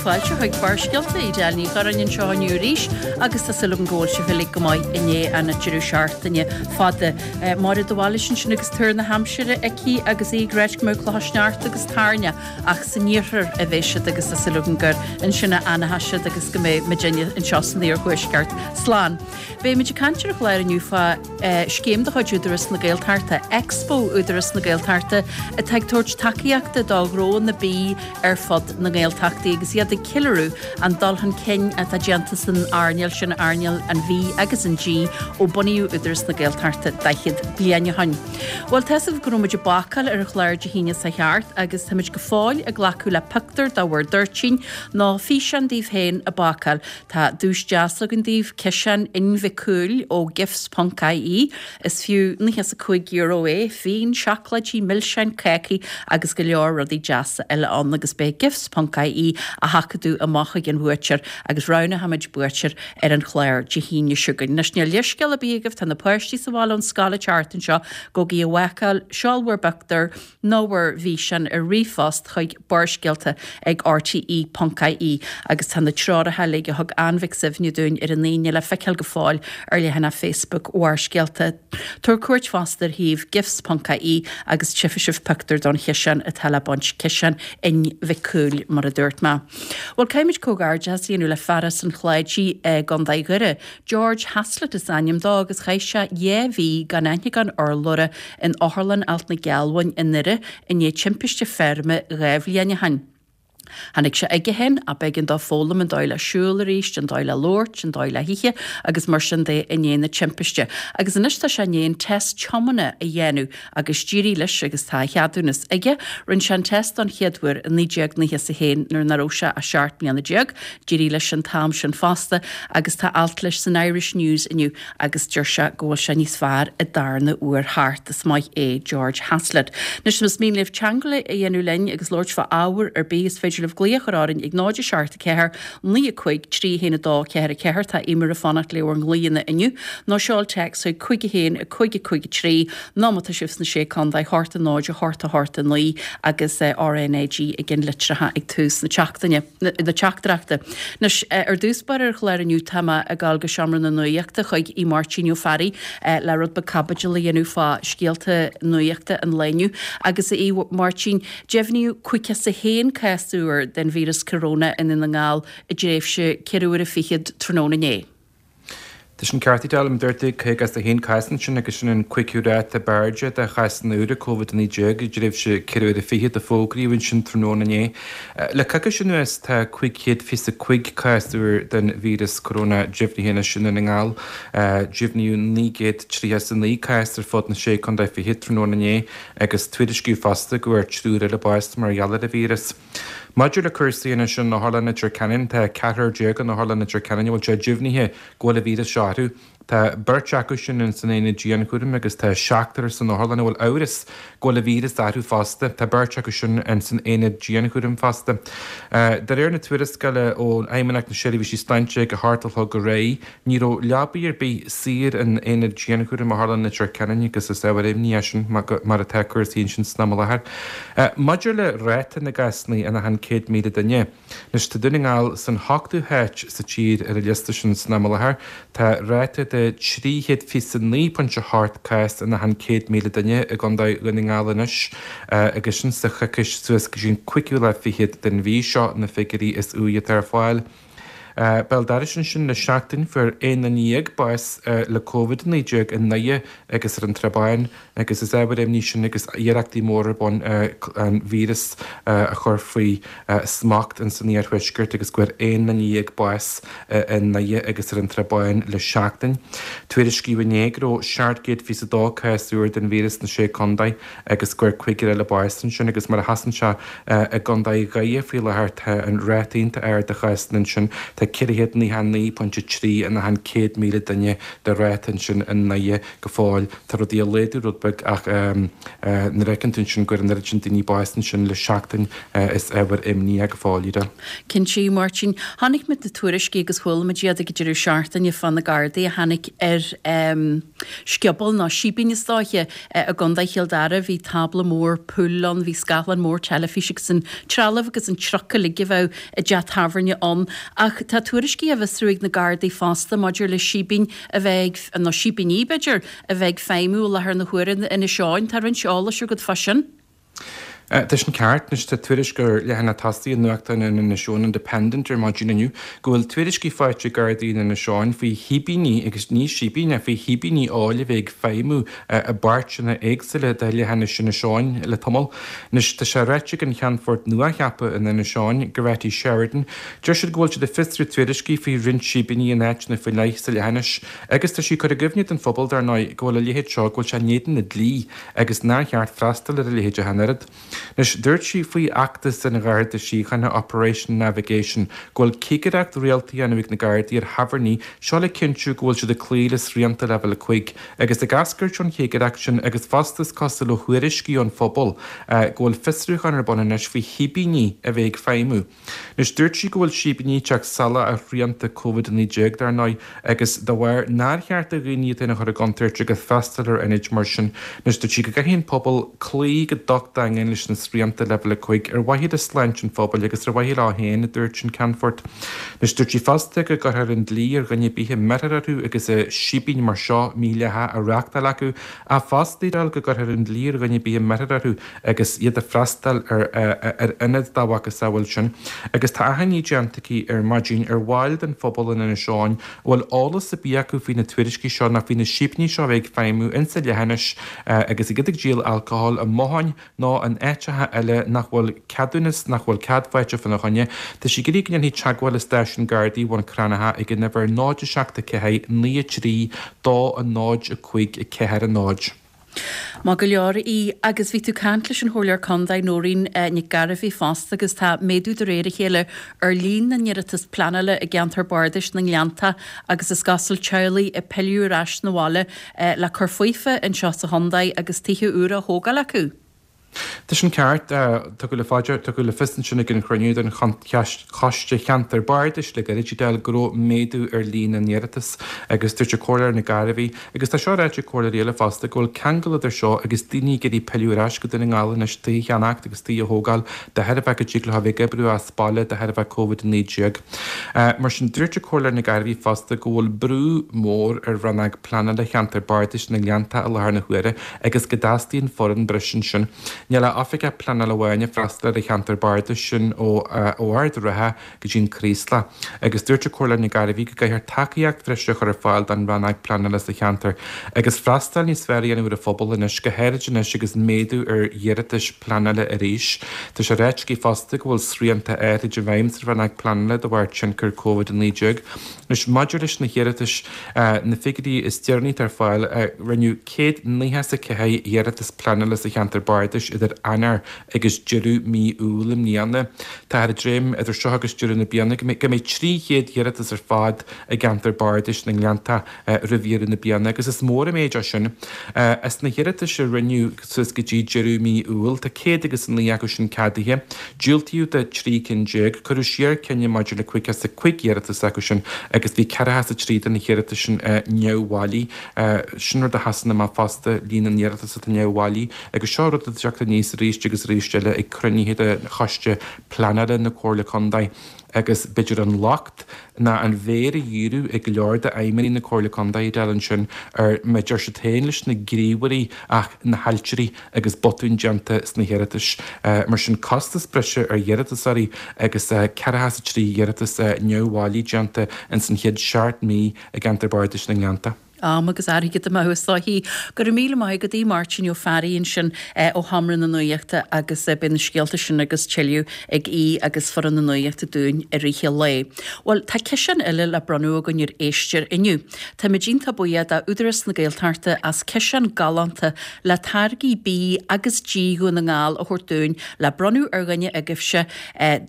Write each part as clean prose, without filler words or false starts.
fáilte chuig Barrscéalta, Edel Ní Churráin anseo inniu arís agus tá súil agam go bhfuil sibh uilig go maith i ndiaidh an deireadh seachtaine fada. Máire de Bhailís ansin agus tuar na haimsire aici agus í ag ráit go mbeadh clocha sneachta agus toirne ach san iarthar a bheidh siad agus tá súil agam gur ansin a fhanfaidh siad agus go mbeidh muidinne anseo san iarthuaisceart slán. Beimid ag caint ar an chlár inniu fá scéim de chuid Údarás na Gaeltachta, Expo Údarás na Gaeltachta, atá ag tabhairt tacaíochta do ghnónna bídh ar fud na nGaeltachtaí agus iad ag ceiliúradh an dul chun cinn atá déanta san earnáil sin, earnáil an bhídh agus an dí, ó bunaíodh Údarás na Gaeltachta 40 bliain ó shin. Bhuel, tá 'fhios agaibh go raibh muid ag bácáil ar an chlár Dé hAoine seo thart agus táimid go fóill ag glacadh le pictiúr de bhur dtoirtín nó físeán daoibh féin ag bácáil. Tá duais deas againn daoibh, ciseán Inn Mhic Cumhaill ó Gifts ponc ie. Is fiú €95 é, fíon, seacláidí, milseáin, cácaí agus go leor rudaí deasa eile ann agus beidh Gifts ponc ie á sheachadadh amach chuig an bhuaiteoir agus roghnóimid buaiteoir ar an chlár Dé hAoine seo chugainn. Anois níl leithscéal ar bith agaibh, tá na páistí sa bhaile ón scoil an tseachtain seo, gabhaigí a bhácáil, seol bhur bpictiúr, nó bhur bhfíseán ar ríomhphost chuig barrscéalta ag rte ponc ie agus tá na treoracha uilig a thug Ann Mhic Suibhne dúinn ar an Aoine le feiceáil go fóill ar leathanach Facebook Bharrscéalta. Tabhair cuairt fosta ar shuíomh gifts ponc ie agus tchífidh sibh pictiúr don chiseán atá le baint, ciseán Inn Mhic Cumhaill mar a dúirt mé. Bhuel, caithfimid comhghairdeachas a dhéanamh le fear as an Chláidí i gContae Dhoire, George Haslett is ainm dó agus chaith sé 2 mhí gan aithne gan urlabhra in Otharlann Ailt na Gealbhain i nDoire i ndiaidh timpiste feirme 2 bhliain ó shin. Tháinig sé chuige féin ach b'éigean dó foghlaim an dóigh le siúl arís, an dóigh le labhairt, an dóigh le hithe agus mar sin de i ndiaidh na timpiste. Agus anois tá sé i ndiaidh an test tiomána a dhéanamh agus d'éirigh leis agus tá a cheadúnas aige. Rinne sé an test don chéad uair i 1991 nuair nach raibh sé ach 17 mbliana. D'éirigh leis an t-am sin fosta agus tá alt leis san Irish News inniu agus deir sé go bhfuil sé níos fearr an darna uair thart. Is maith é George Haslett. Anois más mian libh teagmháil a dhéanamh linn agus labhairt fá ábhar ar bith is féidir libh glaoch a chur orainn ag 0 7 4 9 5 3 1 2 4 4 Tá Eimear ag fanacht le bhur nglaoanna inniu nó seol téacs chuig 5 1 5 5 3 nó má tá sibh sna Sé Contae, 8 0 8 8 9 agus RNAG ag an litreacha ag tús na seachtaine, na teachtaireachta. Anois, ar dtús báire ar an chlár inniu tá mé ag dul go Seomra na Nuachta chuig Aodh Máirtín Ó Fearraigh le rud beag caibidil a dhéanamh fá scéalta nuachta an lae inniu. Agus a Aodh Máirtín, deimhníodh 51 cás úr den víreas coróna i nDún na nGall i dtréimhse ceithre huaire fichead tráthnóna inné. Tá sin ceart, a Edel, mar a dúirt tú, 51 cás ansin agus sin an cúigiú ráta ab airde de chásanna úra Covid-19 i dtréimhse ceithre huaire fichead a fógraíodh ansin tráthnóna inné. Le coicís anuas tá 525 cás úr den víreas coróna deimhnithe anois i nDún na nGall. Deimhníodh 939 cás ar fud na Sé Contae Fichead tráthnóna inné agus tuairiscíodh fosta go bhfuair triúr eile bás mar gheall ar an víreas. Maidir le cúrsaí anois in Otharlann Leitir Ceanainn, tá ceathrar déag in Otharlann Leitir Ceanainn a bhfuil sé deimhnithe go bhfuil an víreas seo orthu. Tá beirt acu sin in san aonad dianchúraim agus tá seachtar san otharlann a bhfuil amhras go bhfuil an víreas orthu fosta. Tá beirt acu sin in san aonad dianchúraim fosta. De réir na tuarascála ó Fheidhmeannacht na Seirbhísí Sláinte ag a hocht a chlog aréir, Ní raibh leabaí ar bith saor in aonad dianchúraim Otharlann Leitir Ceanainn agus is ábhar imní é sin mar atá cúrsaí ansin san am i láthair. Maidir le ráta na gcásanna in achan 100,000 duine, anois tá Dún na nGall san hochtú háit sa tír ar an liosta sin san am i láthair. Tá ráta de 329.8 cás in achan 100,000 duine i gContae Dhún na nGall anois agus sin sa choicís suas go dtí an cúigiú lá fichead den mhí seo na figiúirí is úire atá ar fáil. Béal dorais ansin le seachtain fuair 11 duine bás le Covid-19 i nDoire agus ar an Trá Bháin agus is ábhar imní sin agus iarrachtaí móra ar bun an víreas a chur faoi smacht in san iarthuaisceart agus go bhfuair 11 duine bás i nDoire agus ar an Trá Bháin le seachtain. Tuairiscíodh inné go raibh 722 cás úr den víreas sna Sé Contae agus go bhfuair cúigear eile bás ansin agus mar a sheasann sé i gContae Dhoire faoi láthair tá an ráta iontach ard de chásanna ansin. Tá. Tá 499.3 in achan 100,000 duine de ráta ansin i nDoire go fóill. Tá rudaí ag laghdú rud beag ach nuair a fheiceann tú ansin go bhfuair an oiread sin daoine bás ansin le seachtain is ábhar imní é go fóill, Ida. Cinnte, a Mháirtín. Chonaic muid na tuairiscí agus chuala muid iad ag an deireadh seachtaine fá na Gardaí a tháinig ar scioból nó síbín is dóiche i gContae Chill Dara. Bhí tábla mór pool ann, bhí scáthlán mór teilifíse agus an trealamh agus an truc uilig a bheadh i dteach tábhairne ann. Ach tá tuairiscí á bhfiosrú ag na Gardaí fosta maidir le síbín a bheith ag, nó síbíní b'fhéidir, a bheith ag feidhmiú i láthair na huaire in Inis Eoghain. Tá roinnt eolais agat fá sin. Tá sin ceart. Anois tá tuairisc ar leathanach tosaigh an nuachtáin in Inis Eoghain Independent ar maidin inniu go bhfuil tuairiscí faighte ag Gardaí in Inis Eoghain faoi shíbíní, agus ní síbín ach faoi shíbíní óil a bheith ag feidhmiú i bpáirteanna éagsúla de leathinis Inis Eoghain le tamall. Anois tá sé ráite ag an Cheannfort nuacheaptha in Inis Eoghain, Goretti Sheridan, deir siad go bhfuil siad ag fiosrú tuairiscí faoi roinnt síbíní in áiteanna faoi leith sa leathinis agus tá sí ag cur i gcuimhne don phobal dar ndóigh go bhfuil a leithéid seo, go bhfuil sé in éadan na dlí. agus nár cheart freastal ar a leithéid ach an oiread. Anois, dúirt sí faoi fheachtas an Gharda Síochána, Operation Navigation, go bhfuil cigireacht rialta á dhéanamh ag na Gardaí ar thábhairní, seo le cinntiú go bhfuil siad ag cloí le srianta Leibhéal 5, agus ag eascairt ón chigireacht sin agus fosta is cosúil ó thuairiscí ón phobal go bhfuil fiosrúchán ar bun anois faoi shíbíní a bheith ag feidhmiú. Anois, dúirt sí go bhfuil síbíní ag teacht salach ar shrianta Covid-19, dar ndóigh, agus dá bharr nár cheart do dhaoine iad féin a chur i gcontúirt agus freastal ar ionaid mar sin. Anois, dúirt sí go gcaithfidh an pobal cloí go docht daingean leis na srianta Leibhéal 5 ar mhaithe le sláinte an phobail agus ar mhaithe leo féin, a dúirt an Ceannfort. Anois, dúirt sí fosta go gcuirfear an dlí ar dhuine ar bith a mbeirfear orthu agus síbín mar seo mídhleathach á reáchtáil acu, ach fosta, go gcuirfear an dlí ar dhuine ar bith a mbeirfear orthu agus iad ag freastal ar ar ionad dá mhacasamhail sin, agus tá achainí déanta aici ar maidin ar bhaill den phobal in Inis Eoghain a bhfuil eolas ar bith acu faoi na tuairiscí seo nó faoi na síbíní seo a bheith ag feidhmiú insa leithinis agus iad ag díol alcohol i mbotháin nó in áiteacha eile nach bhfuil ceadúnas, nach bhfuil cead faighte fána choinne. Tá sí ag iarraidh go ndéanfaí teagmháil le stáisiún Gardaí Bhun Cranncha ag an uimhir 0 7 4 9 3 2 0 5 4 0. Maith go leor í. Agus bhí tú ag caint leis an Chomhairleoir Contae, Nóirín Nic Gairbheith fosta agus tá méadú de réir a chéile ar líon na n-iarratas pleanála i gceantar bardais na nGleanntach agus is cosúil teaghlaigh ag pilleadh ar ais 'na bhaile le cur faofa anseo sa chontae agus tithe úra á thógáil acu. Tá sin ceart. Tugadh le fá dear, tugadh le fios ansin ag an chruinniú den Choiste Cheantar Bardais le gairid, Edel, go raibh méadú ar líon na n-iarratas agus dúirt an Comhairleoir Nic Gairbheith, agus tá seo ráite ag comhairleoirí eile fosta, go bhfuil ceangal idir seo agus daoine ag iarraidh pilleadh ar ais go Dún na nGall anois tithe a cheannacht agus tithe a thógáil de thairbhe go dtig leo a bheith ag oibriú as baile de thairbhe Covid-19. Mar sin, dúirt an Comhairleoir Nic Gairbheith fosta go bhfuil brú mór ar Rannóg Pleanála Cheantar Bardais na nGleanntach i láthair na huaire agus go dteastaíonn foireann breise ansin. Níl ach oifigeach pleanála amháin ag freastal ar an cheantar bardais sin ó Ard an Rátha go dtí an Craoslach agus dúirt an Comhairleoir Nic Gairbheith go gcaithfear tacaíocht bhreise a chur ar fáil don rannóg pleanála sa cheantar agus freastal níos fearr a dhéanamh ar an phobal anois, go háirid anois agus méadú ar iarratais pleanála arís. Tá sé ráite aici fosta go bhfuil srianta áirid i bhfeidhm sa rannóg pleanála de bharr tionchar Covid-19. Anois maidir leis na hiarratais, na figiúirí is deireanaí atá ar fáil, rinneadh 194 iarratas pleanála sa cheantar bardais idir Eanáir agus deireadh mí Iúil i mbliana. Táthar ag dréim idir seo agus deireadh na bliana go mbeidh 300 iarratas ar fad i gceantar bardais na nGleanntach roimh dheireadh na bliana agus is mór an méid é sin. As na hiarratais a rinneadh suas go dtí deireadh mí Iúil, tá 109 acu sin ceadaithe. Diúltaíodh do 13 cinn, cuireadh siar cinneadh maidir le 55 iarratas acu sin agus bhí 43 de na hiarratais sin neamhbhailí. Sin rud a sheasann amach fosta, líon na n-iarratas atá neamhbhailí agus seo rud atá ag teacht aníos arís agus arís eile ag cruinnithe de Choiste Pleanála na Comhairle Contae agus b'fhéidir an locht ná an mhéar a dhíriú ag go leor d'fheidhmeannaigh na Comhairle Contae Edel ansin ar mar a deir siad féin leis na gníomhairí ach na hailtirí agus botúin déanta sna hiarratais. Mar sin costas breise ar iarratasóirí agus 43 iarratas neamhbhailí déanta ins an chéad seacht mí i gceantar bardais na nGleannta. Am agus airgead amú is dóichí. Go raibh míle maith agat, a Mháirtín Ó Fearraigh ansin ó Sheomra na Nuachta agus beidh na scéalta sin agus tuilleadh ag Aodh agus foireann na Nuachta dúinn i rith an lae. Bhuel, tá ciseán eile le bronnadh againn ar éisteoir inniu. Táimid iontach buíoch d'Údarás na Gaeltachta as ciseán galánta le táirgí bídh agus dí Dhún na nGall a thabhairt dúinn le bronnadh ar dhuine agaibhse,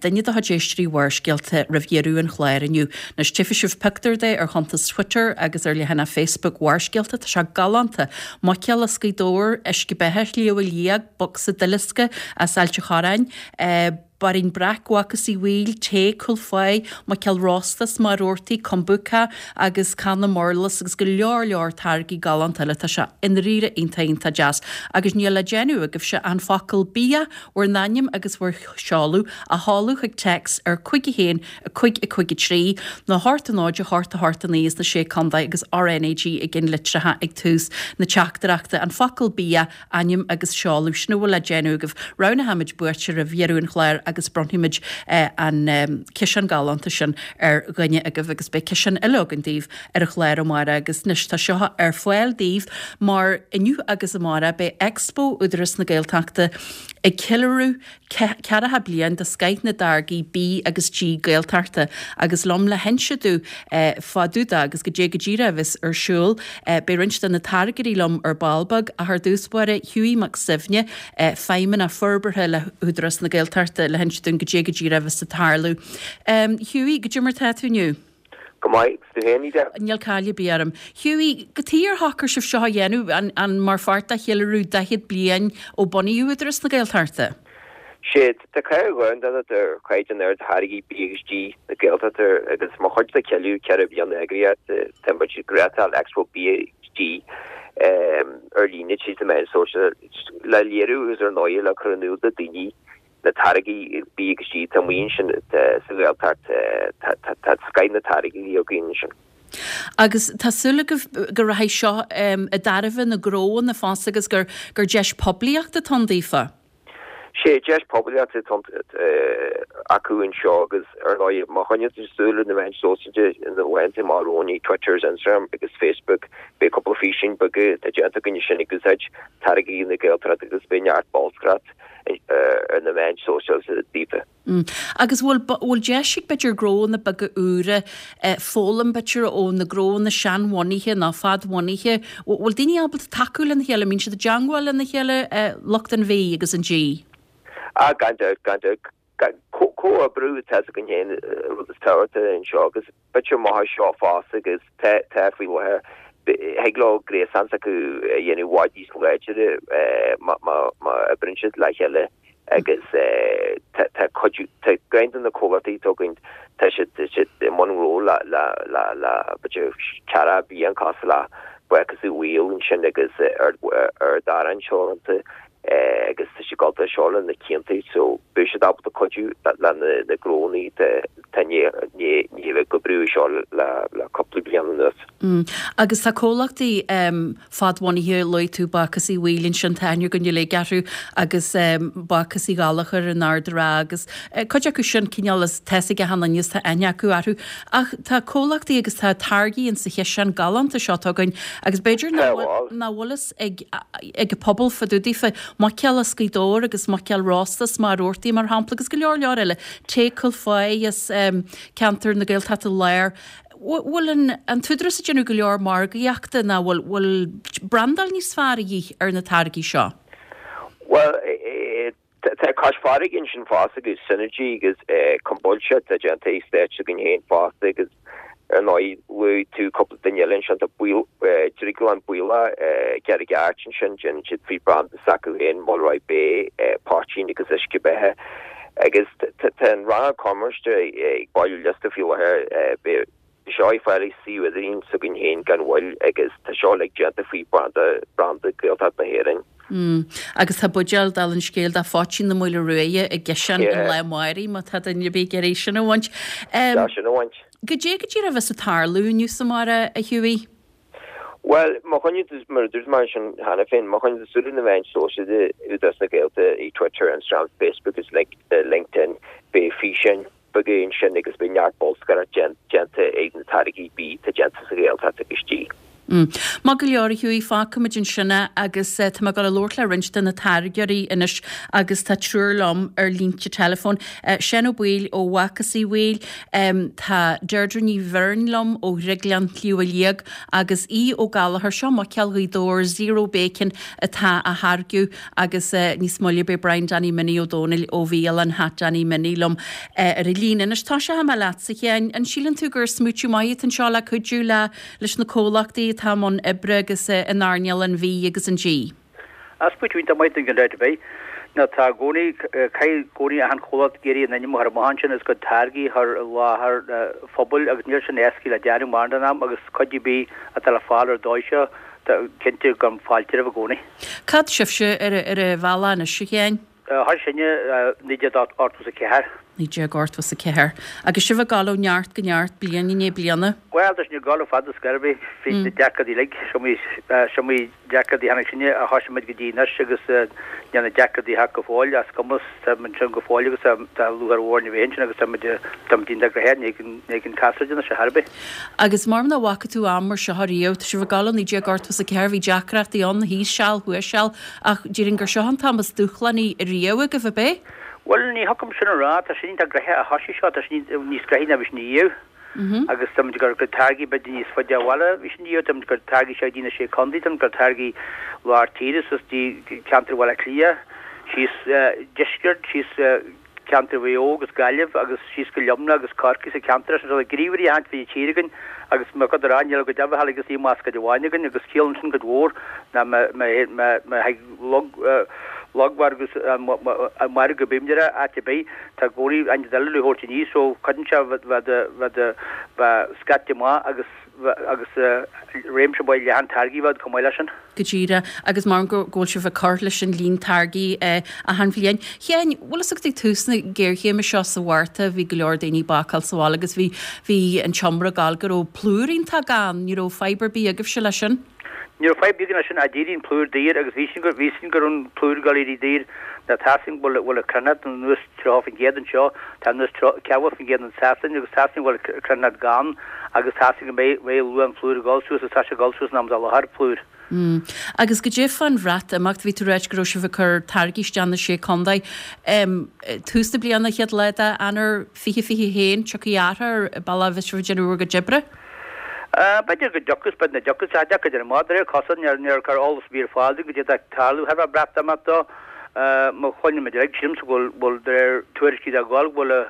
duine de chuid éisteoirí Bharrscéalta roimh dheireadh an chláir inniu. Anois tchífidh sibh pictiúr de ar chuntas Twitter agus ar leathanach Facebook Bharrscéalta. Tá sé galánta! Muiceoil as Gaoth Dobhair, uisce beatha Shliabh Liag, bocsa duileasca as Ailt an Chorráin, Bairín Breac Bhácús Uí Bhaoill, tae Cúil Pháigh, Muiceoil rósta as Machaire Rabhartaigh, Kombucha agus canna murlas agus go leor leor táirgí galánta eile. Tá sé i ndáiríre iontach iontach deas. Agus níl le déanamh agaibhse ach an focal 'bia', bhur n-ainm agus bhur seoladh a sheoladh chuig téacs ar 5 1 5 5 3 nó 8 0 8 8 9 sna Sé Contae agus RnaG i gceannlitreacha ag tús na teachtaireachta. An focal 'bia', ainm agus seoladh. Sin a bhfuil le déanamh agaibh. Roghnóimid buaiteoir roimh dheireadh an chláir agus bronnfaimid an ciseán galánta sin ar dhuine agaibh agus beidh ciseán eile againn daoibh ar an chlár amárach agus anois tá seo ar fáil daoibh mar inniu agus amárach beidh Expo Údarás na Gaeltachta ag ceiliúradh ceathracha bliain de scoith na dtáirgí bídh agus dí Gaeltachta agus liom le hinse domh fá dtaobh de agus goidé go díreach a bheas ar siúl. Beidh roinnt de na táirgeoirí liom ar ball beag ach ar dtús báire Hughie Mac Suibhne, Feidhmeannach Forbartha le hÚdarás na Gaeltachta le hinse dúinn goidé go díreach a bheas ag tarlú. Hughie, goidé mar tá tú inniu? Go maith, 's tú féin, Edel? Níl caill ar bith orm. Hughie, cad chuige ar shocair sibh seo a dhéanamh, an mar pháirt de cheiliúradh 40 bliain ó bunaíodh Údarás na Gaeltachta? Sea, tá cáil dhomhanda ar chaighdeán ard tháirgí bídh agus dí na Gaeltachta agus mar chuid de cheiliúradh 40 bliain na heagraíochta tá muid ag reáchtáil Expo Bia agus Dí ar líne tríd na meáin shóisialta le léiriú agus ar ndóigh le cur in iúl do daoine na táirgí bídh agus dí atá amuigh ansin sa Ghaeltacht, tá scoith na táirgí againn ansin. Agus tá súil agaibh go rachaidh seo i dtairbhe na gnóanna fosta agus gur deis poiblíochta atá ann daofa? Sé, deis poiblíochta atá acu anseo agus ar ndóigh má choinníonn tú súil ar na meáin sóisialta ina bhfaigheann tú amach romhainn, Twitter, Instagram agus Facebook, beidh cúpla físeán beaga atá déanta againn ansin ag úsáid táirgí na Gaeltachta agus beidh neart bolscaireacht ar na meáin sóisialta daofa. Agus bhfuil, bhfuil deis ag b'fhéidir gnóanna beaga úra foghlaim b'fhéidir ó na gnóanna seanbhunaithe nó fadbhunaithe? Bhfuil daoine ábalta tacú lena chéile? An mbíonn siad i dteangmháil lena chéile, lucht an bhídh agus an dí? Ah, gan dabht, gan dabht. Comhoibriú atá againn féin rud is tábhachtaí anseo agus b'fhéidir maith seo fosta agus tá tá faoi láthair thig leo gréasán s'acu a dhéanamh i bhfad níos láidre má má má oibríonn siad le chéile agus tá tá cuid tá ceann de na comhlachtaí atá againn tá siad tá siad i mbun gnó le le le le b'fhéidir ceathracha bliain cosúil le Bácús Uí Bhaoill ansin agus Ard Ard Arann Teoranta agus tá siad ag dul seo le na cianta so beidh siad ábalta cuidiú le na gnónna atá i ndiaidh a bheith ag oibriú seo le cúpla bliain anuas. Agus tá comhlachtaí fadbhunaithe, luaigh tú Bácús Uí Bhaoill ansin, tá aithne againn uilig orthu agus Bácús Uí Ghallchóir in Ard an Rátha agus cuid acu sin cineál is tá 'fhios ag achan duine is tá aithne acu orthu. Ach tá comhlachtaí agus tá táirgí in sa chiseán galánta seo atá againn agus b'fhéidir nach bhfuil fhios ag ag an pobal fá dtaobh daofa, muiceoil as Gaoth Dobhair agus muiceoil rósta as Machaire Rabhartaigh mar shampla agus go leor leor eile, tae Cúil Pháigh as ceantar na Gaeltachta Láir. Bhfuil an an tÚdarás ag déanamh go leor margaíochta nó bhfuil bhfuil brandáil níos fearr a dhíth ar na táirgí seo? Bhuel, Tá Cois Farraige ansin fosta agus Synergy agus Kombucha atá déanta i Stáit s'againn féin fosta agus ar ndóigh luaigh tú cúpla duine eile ansin tá Drioglann Baollach i gCarraig Airt ansin déanann siad faoi branda s'acu féin Mulroy Bay poitín agus uisce beatha agus tá an rannóg cumarsáide ag bailiú liosta faoi láthair beidh seo ar fáil ar suíomh idirlín s'againn féin gan mhoill agus tá seo uilig déanta faoi branda branda Gaeltacht na hÉireann. Mm. Agus tá buidéal, dála an scéil, de phoitín na Maoile Ruaidhe i gciseán an lá amáirigh má tá duine ar bith ag iarraidh sin a bhaint. Tá sin a bhaint. Goidé go díreach a bheas ag tarlú inniu is amárach, a Hughie? Bhuel, má choinníonn tú, mar a dúirt mé ansin cheana féin, má choinníonn tú súil ar na meáin sóisialta Údarás na Gaeltachta, i Twitter, Instagram, Facebook agus LinkedIn, beidh físeáin beaga ansin agus beidh neart bolscaireacht déanta ag na táirgí bídh atá déanta sa Ghaeltacht agus dí. Maith go leor, a Hughie, fágfaimid ansin é agus tá mé ag dul a labhairt le roinnt de na táirgeoirí anois agus tá triúr liom ar línte teileafóin. Seán Ó Baoill ó Bhácás Uí Bhaoill, tá Deirdre Ní Bheirn liom ó Dhrioglann Shliabh Liag agus Aodh Ó Gallchóir, seo muiceoil Ghaoth Dobhair Zero Bacon atá á tháirgeadh agus níos moille beidh Brian Danny Minnie Ó Dónaill ó bhialann Hat Danny Minnie liom ar an líne. Anois tosóidh mé leatsa, a Sheáin, an síleann tú gur smaoitiú maith atá anseo le cuidiú le leis na comhlachtaí atá i mbun oibre agus in earnáil an bhídh agus an dí. Smaoitiú iontach maith gan dabht ar bith. Nó tá i gcónaí, caithfidh i gcónaí achan chomhlacht ag iarraidh a n-ainm a chur amach ansin agus a gcuid táirgí a chur i láthair an phobail agus níl sin éascaí le déanamh mórán den am agus cuidiú ar bith atá le fáil ar an dóigh seo, tá cinnte gabhaim fáilte roimh i gcónaí. Cá fhad sibhse ar an bhealach anois, a Sheáin? Thosaigh sinne 1984. 1984. Agus sibh ag dul ó neart go neart, bliain i ndiaidh bliana? Bhuel, tá sinn ag dul le fada scor ar bith, fríd na deacrachtaí uilig. Is iomaí deacrachtaí a tháinig sinne a thosaigh muid go dtí anois agus níl na deacrachtaí thart go fóill, is cuma, tá muid ansin go fóill agus tá lúcháir mhór orainn a bheith ansin agus tá muid tá muid iontach gnoitheach, ní thig an cás a déanamh sé thar bith. Agus mar nach bhfaca tú am mar seo riamh, tá sibh ag dul ó 1984, bhí deacrachtaí ann, thíos seal, thuas seal, Ach déarfainn gur seo an t-am is dúshlánaí riamh agaibh, ab é? Bhuel, ní thiocfadh liom sin a rá. Tá sin iontach gnoitheach a thosaigh seo, tá sin níos gnoithí ná bhí sin riamh. Agus tá muid ag cur táirgí b'fhéidir níos faide ó bhaile bhí sin riamh, tá muid ag cur táirgí seo go dtí na Sé Contae, tá muid ag cur táirgí lár tíre suas dtí ceantar Bhaile Átha Cliath, síos deisceart, síos ceantar Mhaigh Eo agus Gaillimh agus síos go Luimneach agus Corcaigh sa cheantar sin. So tá gníomhairí achan áit fríd an tír againn agus mar chuid de rá níl go deimhin agus ní más cuid amháin againn agus ciallaíonn sin cuid mhór ná má thig log logmhargadh an margadh bímid ar áit ar bith tá i gcónaí ionad eile le thabhairt aníos so cuireann sé bheith bheith scaite amach agus agus réimse maith leathan táirgí bheith chomh maith leis sin. Go díreach, agus mar go bhfuil sibh ag cur leis an líon táirgí achan bhliain. Sheáin, bhfuil fhios agat ag tús na géarchéime seo sa Mhárta bhí go leor daoine ag bácáil sa bhaile agus bhí bhí an t-iomrá ag gabháil go raibh plúr iontach gann, ní raibh fadhb ar bith agaibhse leis sin? Ní raibh fadhb againn leis sin ach d'éirigh an plúr daor agus bhí sin go bhí sin go raibh an plúr ag dul éirí daor nó tá sin go bhfuil bhfuil an cruithneacht anuas 30% anseo, tá anuas 40% in Sasain agus tá sin go bhfuil cruithneacht gann agus tá sin go mbeidh mbeidh luach an phlúir ag dul suas agus tá sé ag dul suas in am dá láthair, plúr. Mm. Agus goidé fán Bhreatimeacht, bhí tú ag ráit go raibh sibh ag cur táirgí isteach na Sé Contae. Em, tús na bliana, chéad lá d'Eanáir 2021, tiocfaidh athrú ar an bealach a bheas sibh ag déanamh bhur gcuid oibre? Eh, b'fhéidir go dtiocfas, b'fhéidir nach dtiocfas, tá deacair a déanamh amach, de réir cosúil, níor níor cuireadh eolas ar bith ar fáil dúinn goidé atá ag tarlú, thar Bhreatimeacht dó. Má chluineann muid uilig, sílimse go bhfuil, bhfuil, de réir tuairiscí atá ag gabháil, go bhfuil,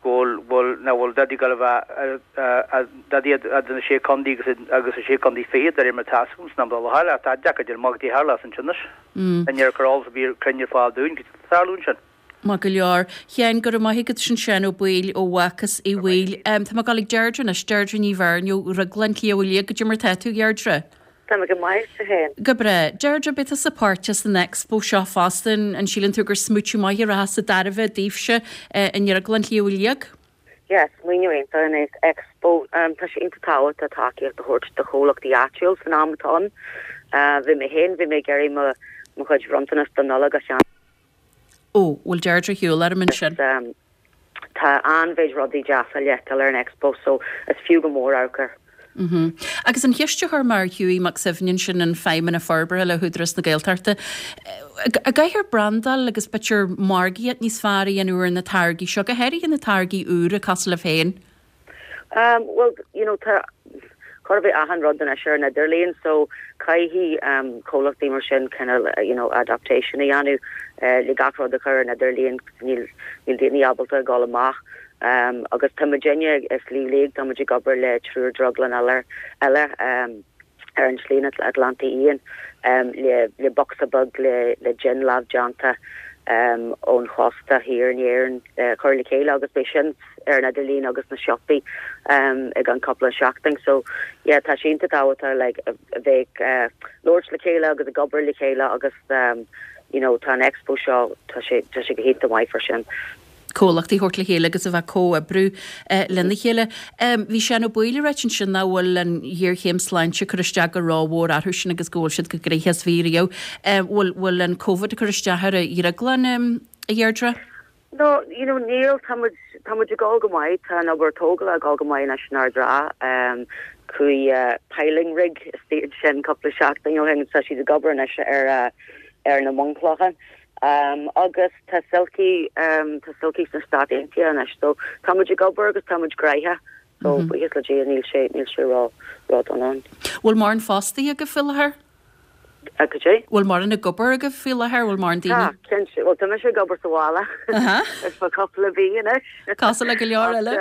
go bhfuil, bhfuil, nach bhfuil dadaí ag gabháil a bheith, dadaí idir na Sé Contae agus, agus na Sé Contae Fichead, de réir mar atá fhios agam san am atá i láthair, ach tá deacair a déanamh amach goidé a tharlós ansin anois. Níor cuireadh eolas ar bith cruinn ar fáil dúinn, goidé atá ag tarlú ansin. Maith go leor. Sheáin, go raibh maith agat sin Seán Ó Baoill ó Bhácás Uí Bhaoill. Tá mé ag dul ag Deirdre anois, Deirdre Ní Bheirn ó Dhrioglann Shliabh Liag. Goidé mar tá tú, a Dheirdre? Tá mé go maith, tú féin? Go breá. Deirdre, beidh tusa páirteach san Expo seo fosta. An síleann tú gur smaoitiú maith a rachas i dtairbhe daoibhse i nDrioglann Shliabh Liag? Yeah, smaoineamh iontach an Expo. Tá sé iontach tábhachtach tacaíocht a thabhairt do chomhlachtaí áitiúil san am atá ann. Bhí mé féin, bhí mé ag iarraidh mo mo chuid bhronntanas don Nollaig a cheannach. Ó, bhfuil Deirdre ar shiúl orm ansin? Tá an-mhéid rudaí deasa le feiceáil ar an Expo so is fiú go mór amharc air. Mm-hmm. Agus an cheist a chuir mé ar Hughie Mac Suibhne ansin, an Feidhmeannach Forbartha le hÚdarás na Gaeltachta, an gcaithfear brandáil agus b'fhéidir margaíocht níos fearr a dhéanamh ar na táirgí seo, go háirithe na táirgí úra cosúil libh féin? Um, well, you know, tá chóir a bheith achan rud anois ar an idirlíon, so caithfidh um, comhlachtaí mar sin kind of, you know, adaptation a dhéanamh uh, le gach rud a chur ar an idirlíon, níl, níl daoine ábalta a dhul amach. Um, agus tá muidinne i Sliabh Liag, tá muid ag obair le triúr drioglann eile, eile um, ar an tSlí Atlantaigh Fhiáin le bocsa beag le jin lámhdéanta ón chósta thiar in Éirinn a chur le chéile agus beidh sin ar an idirlíon agus sna siopaí i gceann cúpla seachtain. So yeah tá sé iontach tábhachtach like a bheith ag labhairt le chéile agus ag obair le chéile agus you know tá an expo seo tá sé tá sé go hiontach maith fá sin. comhlachtaí a thabhairt le chéile agus a bheith ag comhoibriú lena chéile. Bhí Seán Ó Baoill ag ráit ansin nach bhfuil an ghéarchéim sláinte ag cur isteach go rómhór orthu sin agus go bhfuil siad chomh gnoitheach is a bhí riamh. Bhfuil bhfuil an Covid ag cur isteach ar an dhrioglann, a Dheirdre? No, you know, níl, tá muid, tá muid ag dul go maith, tá an obair tógála ag dul go maith anois in Ard an Rátha. Chuaigh piling rig istigh ansin cúpla seachtain ó shin agus tá siad ag obair anois ar ar na bunchlocha. Agus tá Silky, tá Silky sna Stáit Aontaithe anois so tá muid ag obair agus tá muid gnoitheach so buíochas le Dia níl sé, níl sé ró, ró-dona ann. Bhfuil mórán fostaithe agaibh faoi láthair? Cad é? Bhfuil mórán ag obair agaibh faoi láthair? Bhfuil mórán daoine? Tá, cinnte. Bhuel, tá mise ag obair sa bhaile ar feadh cúpla mhí anois. Cosúil le go leor eile.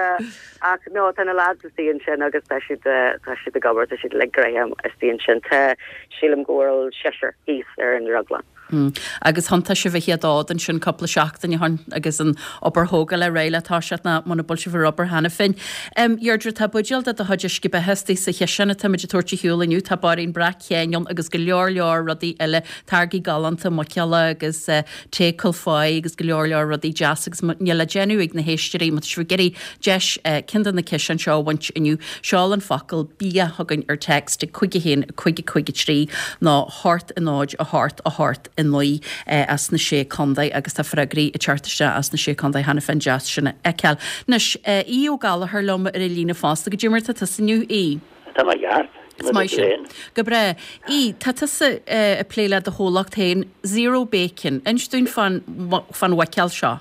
Ach no, tá na lads istigh ansin agus tá siad, tá siad ag obair, tá siad uilig gnoitheach istigh ansin. Tá, sílim go bhfuil seisear thíos ar an drioglann. Agus thiontaigh sibh a chéad fhód ansin cúpla seachtain ó shin agus an obair thógála réidh le toiseacht nó muna bhfuil sibh ar obair cheana féin. Deirdre, tá buidéal de do chuid uisce beatha istigh sa chiseán atá muid ag tabhairt ar shiúl inniu. Tá bairín breac chéin ann agus go leor leor rudaí eile, táirgí galánta muiceola agus tae Cúil Pháigh agus go leor leor rudaí deas agus níl le déanamh ag na héisteoirí má tá sibh ag iarraidh deis ceann de na ciseáin seo a bhaint inniu, seol an focal bia chugainn ar text ag 5 1 5 5 3 nó 8 0 8 8 9 as na Sé Contae agus tá freagraí ag teacht isteach as na Sé Contae cheana féin, deas sin a fheiceáil. Anois, Aodh Ó Gallchóir liom ar an líne fosta. Goidé mar atá tusa inniu, Aodh? Tá mé ceart. Is maith sin. Go breá. Aodh, tá tusa ag plé le do chomhlacht féin, Zero Bacon. Inis dúinn fán mhuiceoil seo.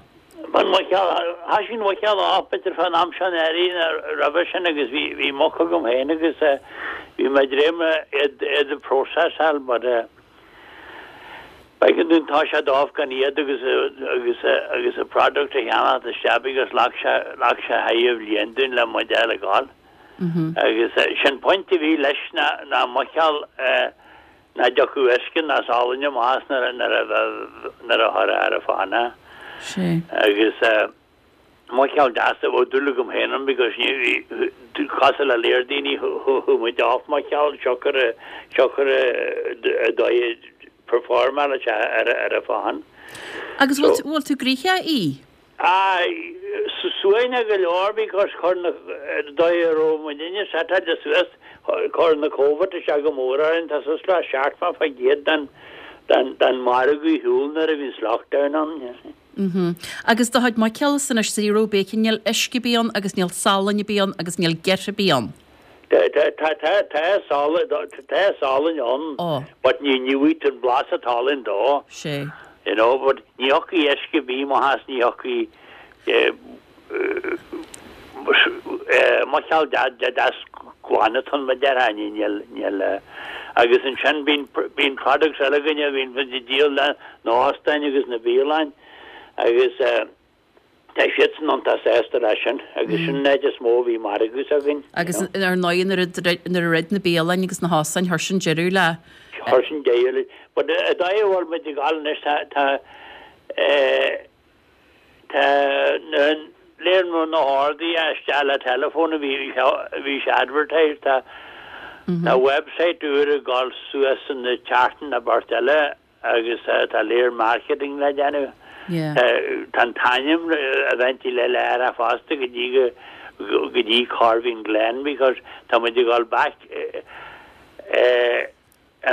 Fán mhuiceoil, thoisigh an mhuiceoil off b'fhéidir fán am seo anuraidh nó roimhe sin agus bhí bhí muc agam féin agus bhí mé ag dréim iad iad a processáil but b'éigean dúinn toiseacht off gan iad agus agus agus an product a cheannacht isteach because ghlac sé ghlac sé thar bhliain dúinn le muid a fháil ag gabháil. Agus sin pointe a bhí leis ná ná muiceoil nach dtiocfadh uisce ná salann amach as nuair a nuair a chuirfeá ar an phan é. Sé. Agus muiceoil deas a bheadh dúil agam féin ann because ní bhí cosúil le léir daoine chuaigh muid off muiceoil siocair siocair an dóigh a performáil sé ar ar an phan. Agus bhfuil bhfuil tú gnoitheach, a Aoidh? Aye, suaimhneach go leor because chuir na, dóigh a raibh muidinne setáilte suas, chuir na Covid isteach go mór orainn, tá suas le 70% den, den, den margadh ar shiúl nuair a bhí an lockdown ann, you see. Mhm. Agus do chuid muiceola anois Zero Bacon, níl uisce ar bith ann agus níl salann ar bith ann agus níl girth ar bith ann. Tá, tá, tá, tá salann, tá salann ann, but ní, ní bhfaighidh tú an blas an tsalainn dó. Sé. You know, but ní thiocfaidh uisce ar bith amach as, ní thiocfaidh muiceoil deas glan atá ann, mar a déarfá, ní, níl, níl, agus ansin bíonn, bíonn products eile againne a bhíonn muid ag díol le na hóstáin agus na bialanna agus, Tá siadsan iontach sásta leis sin agus sin an áit is mó a bhí margadh s'againn. Agus ar ndóigh nuair a nuair a dhruid na bialanna agus na hóstáin chuir sin deireadh le. Chuir sin deireadh le. But an dóigh a bhfuil muid ag gabháil anois tá tá eh tá na léir na na horduithe isteach le telephone a bhí a bhí sé advertised tá tá website úr ag gabháil suas in na tseachtain nó beirt eile Agus tá léir marketing le déanamh. Tá an t-ainm eventually le le athrú fosta go dtí go go dtí Corveen Glen because tá muid ag dul back in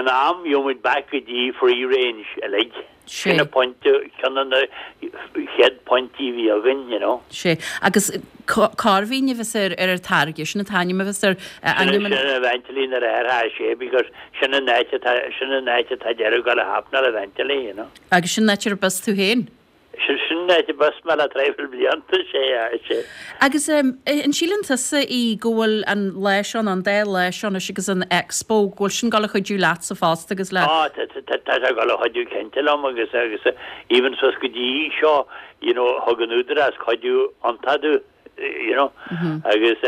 am gheobhaidh muid back go dtí free range uilig. Sin an pointe, ceann de na chéad pointí a bhí againn, you know. Sé. Agus Corveen a bheas ar ar an táirge, sin an t-ainm a bheas ar ainm an. Sin eventually nuair a athróidh sé because sin an áit atá, sin an áit atá deireadh ag dul a happenáil eventually, you know. Agus sin an áit arb as tú féin? Sin, sin an áit arb as mé le traidhfil blianta, sé, sé. Agus an síleann tusa, a Aoidh, go bhfuil an lá seo, nó an dá lá seo anois agus an Expo, go bhfuil sin ag dul a chuidiú leatsa fosta agus le. Á, tá, tá, tá sé ag dul a chuidiú cinnte liom agus, agus even suas go dtí seo, you know, thug an Údarás cuidiú iontach domh, you know, agus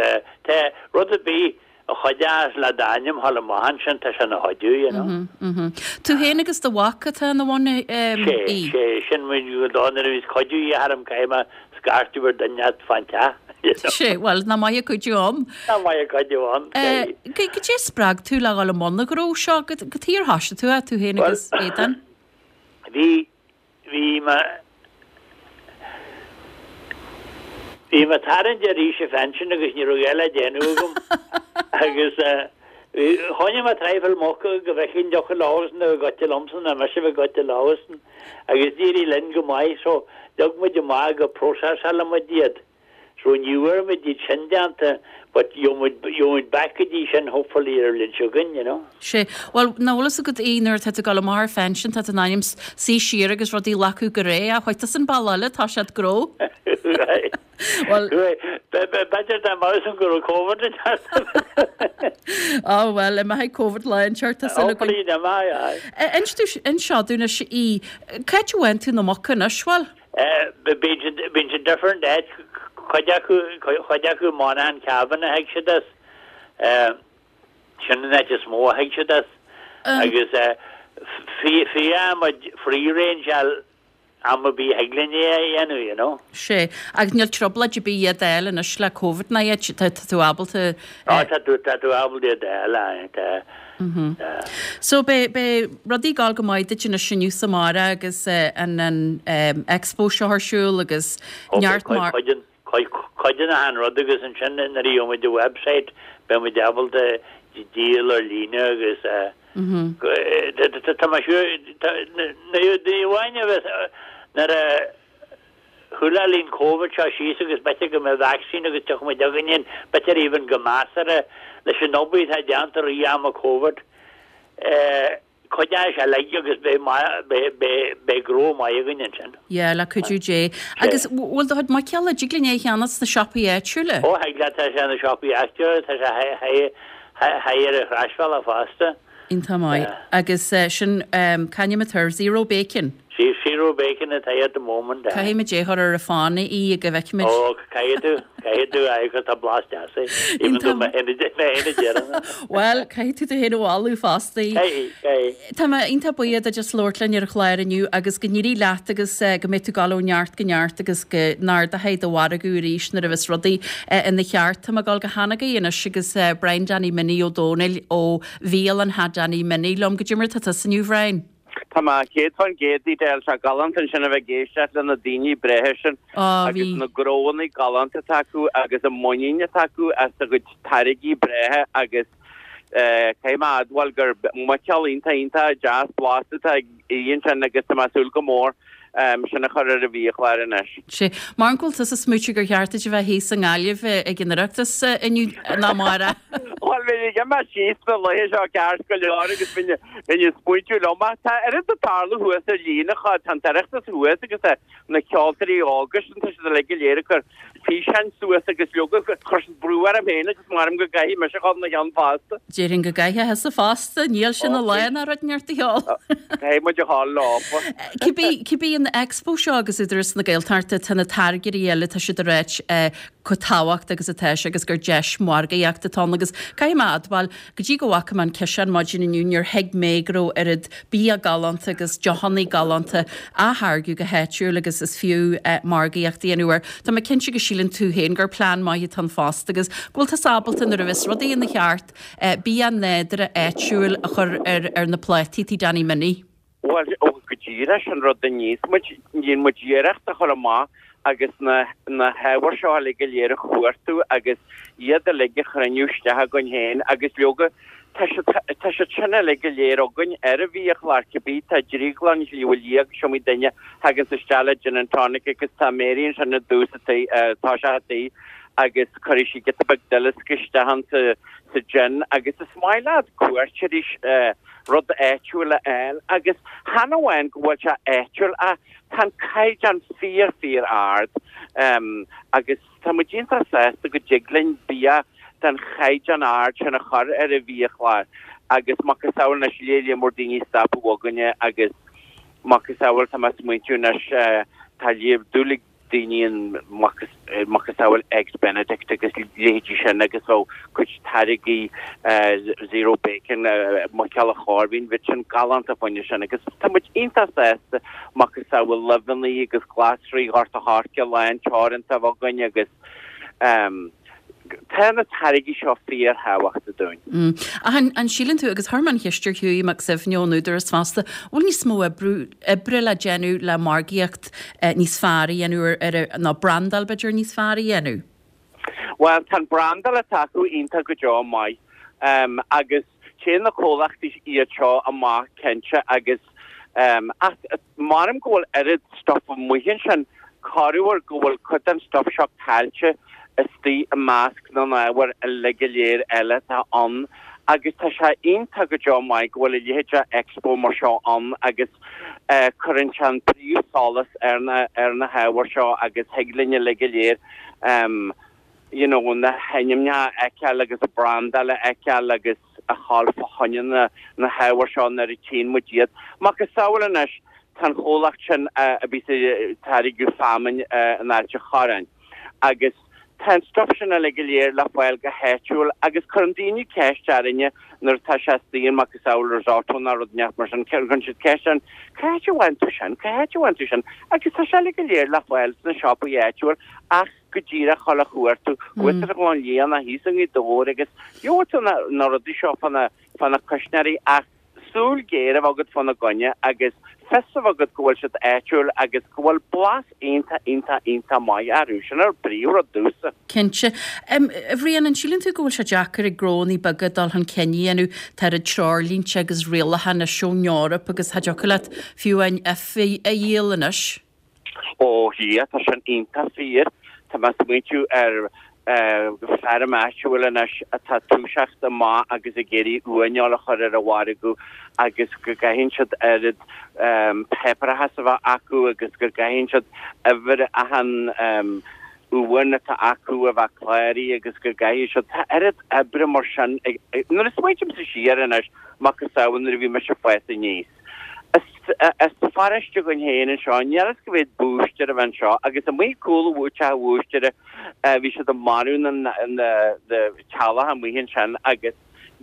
tá rud ar bith a chuideos le d'ainm a ghabháil amach ansin, tá sé ina chuidiú, you know. Tú féin agus do mhac atá ina bhun, Sé, Aodh? sé, sin muid go dó nuair a bhíos cuidiú a dhíth orm caithfidh mé scairteadh ar duine inteacht fán teach, you know. Sé, bhuel, nach maith an cuidiú ann. Nach maith an cuidiú ann, sé. Goidé a spreag tú le dhul i mbun an ghnó seo? Cad chuige ar thoisigh tú é, tú féin agus Aodán? Bhí, Bhí mé Bhí mé tarraingt ar aois an phinsin agus ní raibh a dhath le déanamh agam agus choinnigh mé traidhfil muc go bhfeicfinn an dtiocfadh leosan a bheith goite liomsa nó mise a bheith goite leosan agus d'éirigh linn go maith so leag muid amach go processálfadh muid iad. So ní bhfuair muid iad sin déanta but gheobhaidh muid, gheobhaidh muid back go dtí sin hopefully ar an bhliain seo chugainn, you know. Sea. Bhuel, nach bhfuil fhios agat í nuair atá tú ag dul amach ar phension, tá tú in ainm suí siar agus rudaí a ghlacadh go réidh ach chuaigh tusa an bealach eile, tá siad gnó. Right. Bhuel. B'fhéidir dá mbeadh san go raibh Covid ag teacht. Á bhuel, imeoidh Covid lá inteacht, tá súil againn. Hopefully, imeoidh, aye. Inis dúinn, inis seo dúinn anois í, cá háit a bhfaigheann tú na muca anois, bhuel? Bíonn siad different áit, cuid acu, cuid acu Monaghan Cavan a thig siad as, sin an áit is mó a thig siad as agus fiú muid free range am ar bith a thig linn é a dhéanamh, you know. Sea, agus níl trioblóid ar bith iad a fháil anois le Covid ná iad, tá tú ábalta. Á, tá tú, tá tú ábalta iad a fháil, aye, tá. So beidh, beidh rudaí ag gabháil go maith duit anois inniu is amárach agus an, an expo seo ar siúl agus neart mar. Cuid den, cuid den achan rud agus ansin nuair a gheobhaidh muid an website beidh muid ábalta díol ar líne agus tá mé siúr, ní amháin a bheith nuair a chúlóidh an Covid seo síos agus b'fhéidir go mbeidh vaccine agus tiocfaidh muid againn in, b'fhéidir even go measartha leis an obair atá déanta i rith ama Covid, cuid de seo uilig agus beidh beidh beidh beidh gnó maith againn ansin. Yeah, le cuidiú Dé. Agus bhfuil do chuid muiceola, dtig linn é a cheannach sna siopaí áitiúla? Ó, thig leat, tá sé sna siopaí áitiúla, tá sé thigh ar an thrasbhealach fosta. Iontach maith. Agus sin, c'ainm atá air? Zero Bacon? Zero Bacon atá at the moment, aye. Caithfidh muid é a chur ar an fána í go bhfeicfimid. Ó, caithfidh tú, caithfidh tú, aye, 'cause tá blas deas air, even though mé féin a déarfainn é. Bhuel, caithfidh tú tú féin a mholadh fosta. Caithfidh, caithfidh. Tá mé iontach buíoch duit as labhairt linn ar an chlár inniu agus go n-éirí leat agus go mbeidh tú ag dul ó neart go neart agus go n-ardóidh do mhargadh arís nuair a bheas rudaí ina cheart. Tá mé ag dul go hAnagaidh anois agus Brian Danny Minnie Ó Dónaill ó Bhialann Danny Minnie liom. Goidé mar atá tusa inniu, Bhrian? Tá mé 100% Edel, tá sé galánta ansin a bheith ag éisteacht le na daoine breátha sin agus na gnóanna galánta atá acu agus an muinín atá acu as a gcuid táirgí breátha agus caithfidh mé a admháil gur muiceoil iontach iontach deas blasta atá ag Aodh ansin agus tá mé ag súil go mór sin a chur ar an bhiachlár anois. Sea. Mar go bhfuil tusa ag smaoitiú gur cheart duit a bheith thíos i nGaillimh ag an Oireachtas inniu nó amárach. Bhuel, bheinn ag imeacht síos na laethe seo ceart go leor agus bheinn ag smaointiú liom ach tá oiread ag tarlú thuas ar líne, tá an tOireachtas thuas agus tá na ceoltóirí óga sin, tá siad uilig go léir ag cur físeáin suas agus leoga, chuir siad brú orm féin agus maram go gcaithfidh mise a dhul ina cheann fosta. Déarfainn go gcaithfidh thusa fosta, níl sin a lá ná rud inteacht a cheol. Caithfidh muid a dhul leofa. Cibé, cibé an Expo seo agus Údarás na Gaeltachta, tá na táirgeoirí eile, tá siad ag ráit chomh tábhachtach agus atá sé agus gur deis margaíochta atá ann agus caithfidh mé a admháil, Go dtí go bhfaca mé an ciseán maidin inniu níor thuig mé go raibh oiread bia galánta agus deochanna galánta á tháirgeadh go háitiúil agus is fiú margaíocht a dhéanamh air. Tá mé cinnte go síleann tú féin gur plean maith atá ann fosta agus go bhfuil tusa ábalta nuair a bheas rudaí ina cheart bia nádúrtha áitiúil a chur ar na plátaí Tigh Danny Minnie. Bhuel, ó, go díreach, sin rud a níos muid, níonn muid iarracht a chur amach agus na, na hábhair seo uilig go léir a chuartú agus iad uilig a chruinniú isteach againn féin agus leoga, tá siad, tá siad sin uilig go léir againn ar an bhiachlár, cibé, tá Drioglann Shliabh Liag, is iomaí duine a thaganns isteach le gin and tonic agus tá Mary ansin i dtús an tí, tosach an tí agus cuirfidh sí giota beag duileasca isteach ann sa, sa gin agus is maith le cuairteoirí, rud áitiúil a fháil agus chan amháin go bhfuil sé áitiúil ach tá an caighdeán fíor fíor ard agus tá muid iontach sásta go dtig linn bia den chaighdeán ard sin a chur ar an bhiachlár agus macasamhail anois lear mór daoine ag stopadh againne agus macasamhail tá mé ag smaointiú anois tá dúil ag daoine an macasamhail Eggs Benedict agus leithéidí sin agus bheadh cuid táirgí Zero Bacon, muiceoil an Choirbín, bheadh sin galánta fá choinne sin agus tá muid iontach sásta macasamhail luibheanna agus glasraí Ghort a' Choirce lán teoranta a bheith againn agus Tá na táirgí seo fíorthábhachtach dúinn. Ach an síleann tú, agus chuir mé an cheist ar Hughie Mac Suibhne ón Údarás fosta, bhfuil níos mó oibre le déanamh le margaíocht níos fearr a dhéanamh ar, nó brandáil b'fhéidir níos fearr a dhéanamh? Bhuel, tá an brandáil atá acu iontach go deo maith agus Téann na comhlachtaí iad seo amach cinnte agus ach maram go bhfuil oiread stuff amuigh ansin. Corruair go bhfuil cuid den stuif seo caillte istigh i measc na n-ábhar uilig go léir eile atá ann agus tá sé iontach go deo maith go bhfuil a leithéid de expo mar seo ann agus cuireann sé an príomhsholas ar na ar na hábhair seo agus thig linn uilig go léir you know na hainmneacha a fheiceáil agus an brandáil a fheiceáil agus a ghabháil fá choinne na na hábhair seo nuair a tchíonn muid iad. Macasamhail anois tá an chomhlacht sin a bhíos ag táirgeadh feamainn in Ailt an Chorráin agus tá an stuif sin uilig go léir le fáil go háitiúil agus cuireann daoine ceist orainne nuair atá sé istigh in macasamhail risotto nó rud inteacht mar sin, cuireann siad ceist orainn, cá háit a bhfaigheann tú sin, cá háit a bhfaigheann tú sin agus tá sé uilig go léir le fáil sna siopaí áitiúil ach go díreach dhul a chuartú thuas ar an Ghleann Liath nó thíos i nGaoth Dobhair agus gheobhaidh tú na rudaí seo fá na cuisneoirí ach súil ghéar a bheith agat fána gcoinne agus fios a bheith agat go bhfuil siad áitiúil agus go bhfuil blas iontach, iontach, iontach maith orthu. Sin an príomhrud domhsa. Cinnte. A Bhriain, an síleann tú go bhfuil sé deacair ag gnónnaí beaga dul chun cinn a dhéanamh? Tá oiread treoirlínte agus rialacha anois ón Eoraip agus cha dtiocfadh leat fiú amháin uibhe a dhíol anois. Ó yeah, tá sin iontach fíor. Tá mé ag smaointiú ar feirm áitiúil anois atá ag toiseacht amach agus ag iarraidh uaineoil a chur ar an mhargadh agus go gcaitheann siad oiread páipéarachas a bheith acu agus go gcaitheann siad uimhir achan uain atá acu a bheith cláraithe agus go gcaithfidh siad, tá oiread oibre mar sin ag, nuair a smaointímse siar anois, macasamhail nuair a bhí mise ag fás aníos. As pharóiste againn féin anseo, níl fhios cá mhéad búistéir a bhí anseo, agus amuigh ag cúl teach an bhúistéara bhí siad ag marú na teaghlach amuigh ansin agus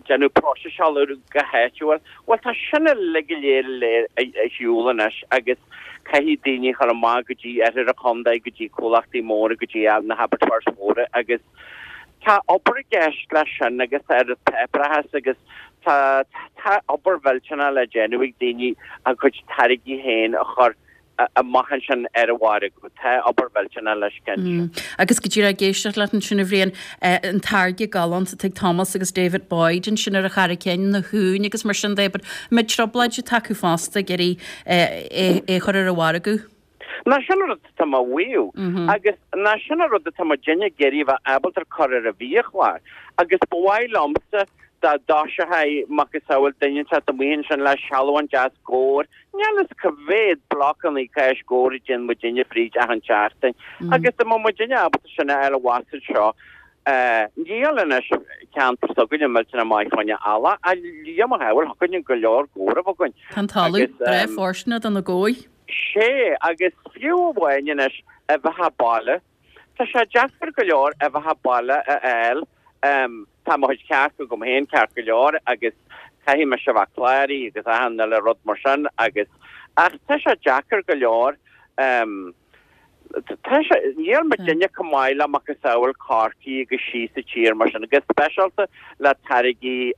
déanamh próiseáil orthu go háitiúil. Bhuel tá sin uilig go léir ar shiúl anois agus caithfidh daoine a chur amach go dtí oirthear an chontae, go dtí comhlachtaí móra, go dtí na habattoirs mhóra agus Tá obair i gceist leis sin agus tá oiread páipéarachas agus tá tá obair mhillteanach le déanamh ag daoine a gcuid táirgí féin a chur amach ansin ar an mhargadh. Tá obair mhillteanach leis cinnte. Agus go díreach ag éisteacht leat ansin a Bhriain, an táirge galánta atá ag Thomas agus David Boyd ansin ar an Charraig Chinn, na huain agus mar sin de, but an mbeidh trioblóid atá acu fosta ag iarraidh é a chur ar an mhargadh? Ná sin an rud atá mé a mhaíomh. Agus ná sin an rud atá muidinne ag iarraidh a bheith ábalta cur ar an bhiachlár. Agus ba mhaith liomsa dá dtoiseochaidh macasamhail duine inteacht amuigh ansin le sealbhán deas gabhair, níl fhios cá mhéad blocannaí cáis gabhair a dhéanann muidinne fríd achan tseachtain. Agus dá mbeadh muidinne ábalta sin a fháil abhus anseo, níl anois ceantar s'againne millteanach maith fá choinne eallach, ach Dia mo shábháil, thiocfadh linn go leor gabhar a bheith againn. Tá an talamh breá fóirsteanach do na gabhair. Sé, agus fiú amháin anois, uibheacha baile, tá sé deacair go leor uibheacha baile a fháil. Tá mo chuid cearc agam féin ceart go leor agus caithfidh mise a bheith cláraithe agus achan uile rud mar sin agus, ach tá sé deacair go leor. Tá sé, níl muidinne chomh maith le macasamhail Corcaigh agus síos sa tír mar sin, go speisialta le táirgí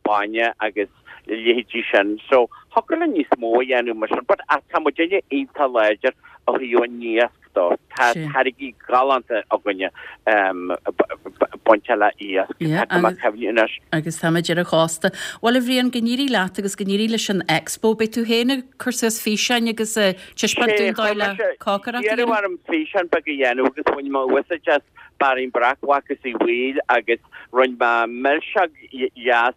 bainne agus a leithéidí sin. So, thiocfadh linn níos mó a dhéanamh mar sin, but ach tá muidinne iontach láidir ó thaobh an iasc dó. Tá táirgí galánta againne bainte le iasc, tá mé ag cuimhniú anois. Agus táimid ar an chósta. Bhuel, a Bhriain, go n-éirí leat agus go n-éirí leis an Expo. Beidh tú féin ag cur suas físeáin agus taispeáint dúinn dóigh le cócaireacht a dhéanamh. Iarradh orm físeán beag a dhéanamh agus bhain mé úsáid as Bairín Breac Mhac Uí Bhaoill agus rinne mé milseog dheas,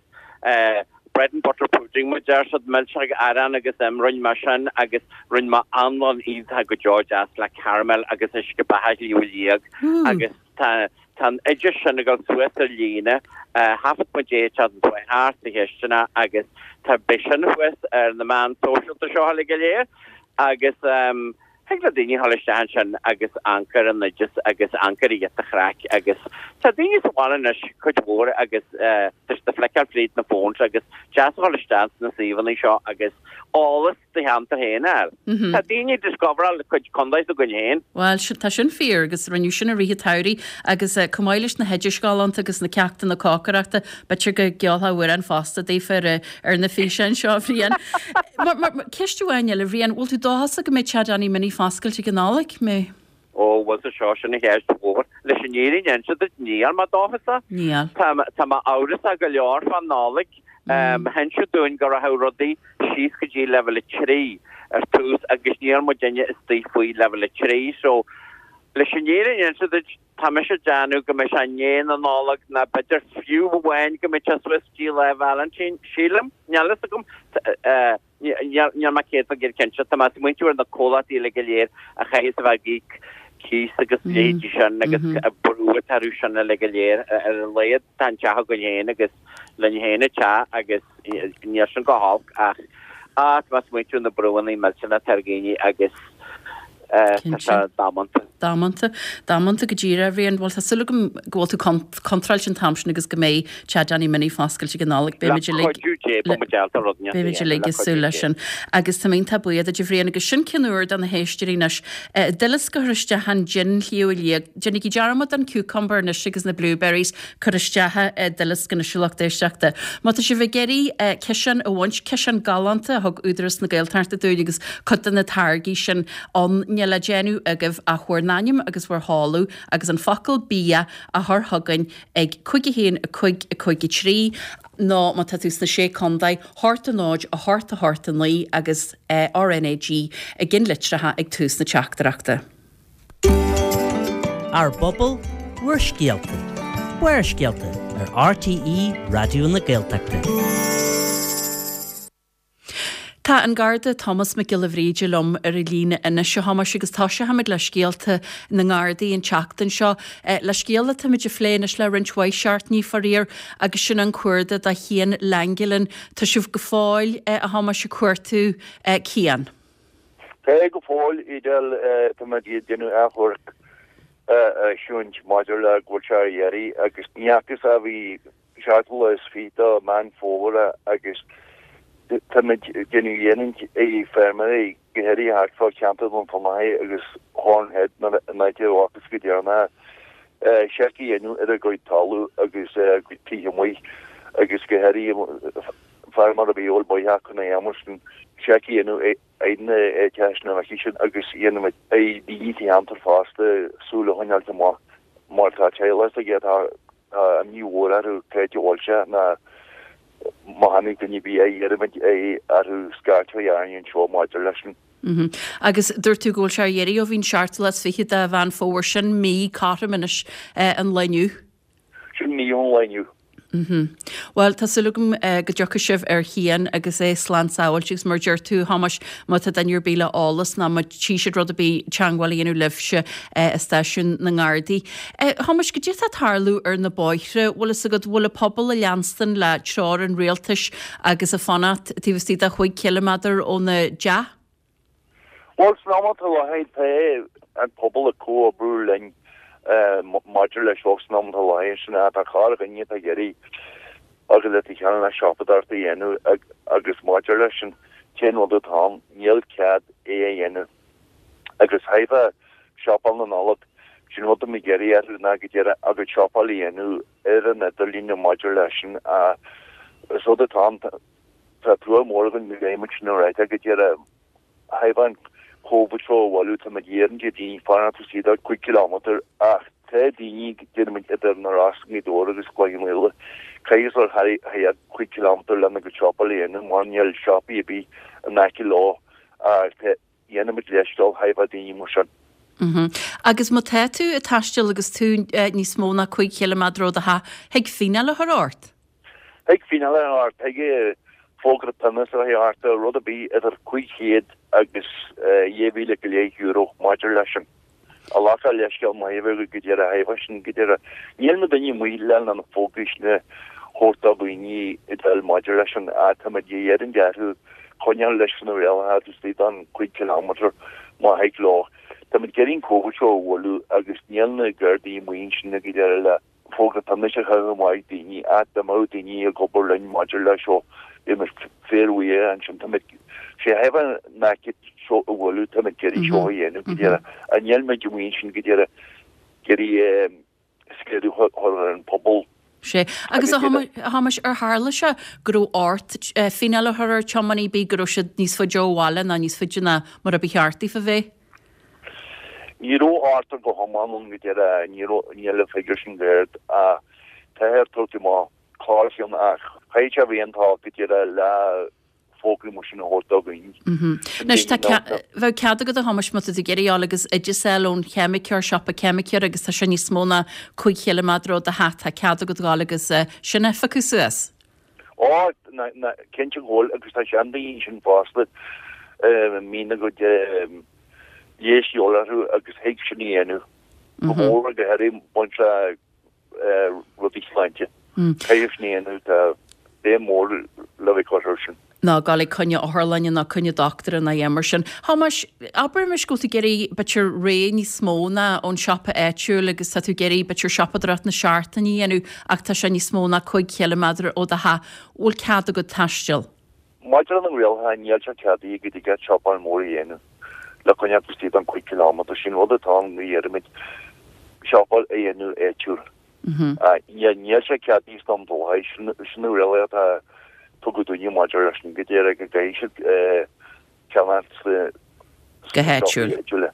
bread and butter pudding mar a deir siad, milseog arán agus im, rinne mé sin agus rinne mé anlann iontach go deo deas le caramel agus uisce beatha Shliabh Liag agus tá Tá an oideas sin ag dul suas ar líne. Thaifead muid é an tseachtain seo chuaigh thart sa chisteanach agus tá beidh sin thuas ar na meáin sóisialta seo uilig go léir agus thig le daoine dhul isteach ansin agus amharc ar an oideas agus amharc ar ghiota chraic agus tá daoine sa bhaile anois cuid mhór agus tá siad ag fliceáil fríd na phones agus deas a dhul isteach sna suíomhanna seo agus eolas do cheantar féin a fháil. Tá daoine ag discoveráil cuid contae s'againn féin. Bhuel, tá sin fíor agus rinneadh sin i rith an tsamhraidh agus chomh maith leis na hoidis ghalánta agus na ceachtanna cócaireachta, b'fhéidir go gceolfá amhrán fosta daofa ar ar na físeáin seo, a Bhriain. Mar, mar, ceist amháin eile, a Bhriain, bhfuil tú dóchasach go mbeidh Teach Danny Minnie foscailte ag an Nollaig? Mbeidh? Ó, bhuel, sa seo, sin an cheist mhór. Leis an fhírinne a inse duit, níl mé dóchasach. Níl. Tá, tá mé amhrasach go leor fán Nollaig. Hinseadh dúinn go rachadh rudaí síos go dtí leibhéal 3. ar tús agus níl muidinne istigh faoi leibhéal 3 so leis an fhírinne a inse duit tá mise ag déanamh go mbeidh sé i ndiaidh na Nollag ná b'fhéidir fiú amháin go mbeidh sé suas go dtí Lá Vailintín, sílim, níl fhios agam. Níl mé 100% cinnte. Tá mé ag smaointiú ar na comhlachtaí uilig go léir a chaithfeas a bheith ag íoc cíos agus leithéidí sin agus an brú atá orthu sin uilig go léir. Ar a laghad tá an teach againn féin agus linn féin an teach agus níl sin go holc ach tá mé ag smaointiú ar na brúanna millteanacha atá ar dhaoine agus tá sé damanta. Damanta. Damanta go díreach, a Bhriain. Bhuel, tá súil agam go bhfuil tú contráilte an t-am sin agus go mbeidh Teach Danny Minnie foscailte ag an Nollaig. Beimid uilig. Le cuidiú Dé, beidh muid ábalta rud inteacht a Beimid uilig ag súil leis sin. Agus tá mé iontach buíoch duit, a Bhriain, agus sin ceann úr do na héisteoirí anois. Duileasc a chur isteach i dtin Shliabh Liag. Déanaigí dearmad den cucumber anois agus na blueberries. Cuir isteach i nduileasc anois a lucht éisteachta. Má tá sibh ag iarraidh ciseán a bhaint, ciseán galánta a thug Údarás na Gaeltachta dúinn agus cuid de na táirgí sin ann, níl le déanamh agaibh ach bhur n-ainm agus bhur sheoladh agus an focal 'bia' a chur chugainn ag 5 1 5 5 3 nó má tá tú sna Sé Contae, 8 0 8 8 9 agus RnaG i gcinnlitreacha ag tús na teachtaireachta. Ár bpobal, bhur scéalta. Barrscéalta ar RTÉ Raidió na Gaeltachta. Tá an Garda Tomás Mac Giolla Bhríde liom ar an líne anois, a Thomáis, agus toiseochaimid le scéalta na nGardaí an tseachtain seo. Le scéal atáimid ag plé anois le roinnt mhaith seachtainí, faraor, agus sin an cuardach do Chian Langelan. Tá sibh go fóill, a Thomáis, ag cuartú Cian. Tá go fóill, Edel, tá muid ag déanamh achomharc a eisiúint maidir le go bhfuil sé ar iarraidh agus ní fhacthas ó bhí seachtú lá is fiche de Meán Fómhair agus tá muid ag déanamh iarraidh ar feirmeoirí go háirithe thart fá cheantar Dhún Fionnachaidh agus Horn Head an áit a bhfacthas go deireanach seic a dhéanamh ar a gcuid talamh agus a gcuid tithe amuigh agus go háirithe feirmeoir ar bith a bhfuil bóitheach chun a dhéanamh sin seic a dhéanamh ar na háiteacha sin aici sin agus dhéanamh ar daoine sa cheantar fosta súil a choinneáilt amach mar tá teaghlach s'aige atá tá imní mhór orthu cá háit a bhfuil sé ná má chonaic duine ar bith é iarraimid é orthu scairt a chur orainn anseo maidir leis sin. Agus dúirt tú go bhfuil sé ar iarraidh ó bhí an seachtú lá is fiche de Mheán Fómhair sin mí cothrom anois an lae inniu. Sin mí ón lá inniu. Bhuel, tá súil agam go dtiocfaidh sibh ar Chian agus é slán sábháilte agus mar a deir tú, a Thomáis, má tá duine ar bith le eolas nó má tchí siad rud ar bith teagmháil a dhéanamh libhse i stáisiún na nGardaí. A Thomáis, goidé atá ag tarlú ar na bóithre, bhfuil fhios agat, bhfuil an pobal ag leanstan le treoir an rialtais agus ag fanacht taobh istigh de chúig chiliméadar óna dteach? Bhuel, san am atá i láthair, tá an pobal ag comhoibriú linn maidir leis seo san am atá i láthair. Sin é, tá corrdhuine atá ag iarraidh agus le chéile le siopadóireacht a dhéanamh agus maidir leis an t-aon rud atá ann, níl cead é a dhéanamh. Agus chaithfeá siopail na Nollag, sin rud atá mé ag iarraidh orthu ná go díreach a gcuid siopail a dhéanamh ar an idirlíon maidir leis sin. Is rud atá ann. Tá trua mór againn go gcaithfidh muid sin a ráit ach go díreach thaobh an Covid seo a bhailiú tá muid ag iarraidh ar daoine fanacht istigh de 5 kilometre ach tá daoine déarfaidh muid idir na Rosa, Gaoth Dobhair agus Cloich Cheann Fhaola caithfidh siad thar 5 kilometre lena gcuid siopail a dhéanamh mar níl siopaí ar bith in aice leo ach dhéanfaidh muid leithscéal thaobh daoine mar sin. Agus má tá tú ag taisteal agus tú níos mó ná 5 chiliméadar ó do theach, thig fíneáil a chur ort? Thig fíneáil a chur ort, thig fógra pionóis a chur ort, rud ar bith idir 500 agus 2,000 go leith euro maidir leis sin. A ghlacadh leithscéal maith a bheith go díreach thaobh sin go díreach. Níl na daoine amuigh le na fógraí sin a thabhairt do dhaoine ag dul maidir leis sin ach tá muid ag iarraidh orthu coinneáil leis na rialacha taobh istigh den 5 kilometre má thig leo. Tá muid ag iarraidh an Covid seo a bhualadh agus níl na Gardaí amuigh ansin go díreach le fógra pionóis a chaitheamh amach ag daoine ach dá mbeadh daoine ag obair linn maidir leis seo bheadh muid fíorbhuíoch ansin. Tá muid sé thaobh an aicíd seo a bhualadh tá muid ag iarraidh seo a dhéanamh go díreach ach níl muid amuigh ansin go díreach ag iarraidh scéalú a chur ar an pobal. Sea. Agus a Thomáis, ar tharla sé go raibh ort fíneáil a chur ar tiománaí ar bith go raibh siad níos faide ó bhaile ná níos faide ná mar a ba cheart daofa bheith? Ní raibh ort go hiomlán ann go deireadh, ní raibh, níl an figiúr sin go hard ach táthar ag tabhairt amach corrcheann ach chaithfeadh sé a bheith an-tolg go deireadh le. fógraí mar sin a thabhairt do dhaoine. Anois tá bheadh cead agat a Thomáis má tá tú ag iarraidh dul agus oideas a fháil ón cheimiceoir, siopa ceimiceora agus tá sé níos mó ná 5 chiliméadar ó do theach, tá cead agat dhul agus sin a phiocadh suas. Ó, cinnte go bhfuil agus tá seandaoine ansin fosta a mbíonn a gcuid leighis de dhíobháil orthu agus thig sin a dhéanamh. Go mór go háirithe baint le rudaí sláinte. Caithfidh sin a dhéanamh, tá béim mhór le bheith curtha air sin. ná dul ag coinne otharlainne ná coinne doctúra ná a dhath mar sin. Thomáis, abraimis go bhfuil tú ag iarraidh b'fhéidir rogha níos mó ná ón siopa áitiúil agus tá tú ag iarraidh b'fhéidir siopadóireacht na seachtaine a dhéanamh ach tá sé níos mó ná 5 chiliméadar ó do theach, bhfuil cead agat taisteal? Maidir leis na rialacha, níl sé ceadaithe go dtig leat siopadóireacht mhór a dhéanamh le coinneáil istigh den 5 chileámeadar. Sin rud atá ann go iarraimid siopadóireacht a dhéanamh áitiúil. Níl sé ceadaithe sna dlíthe, sin na rialacha atá tugtha dúinne maidir leis sin go díreach go gcaithfidh siad ceannacht sna Go háitiúil. áitiúla.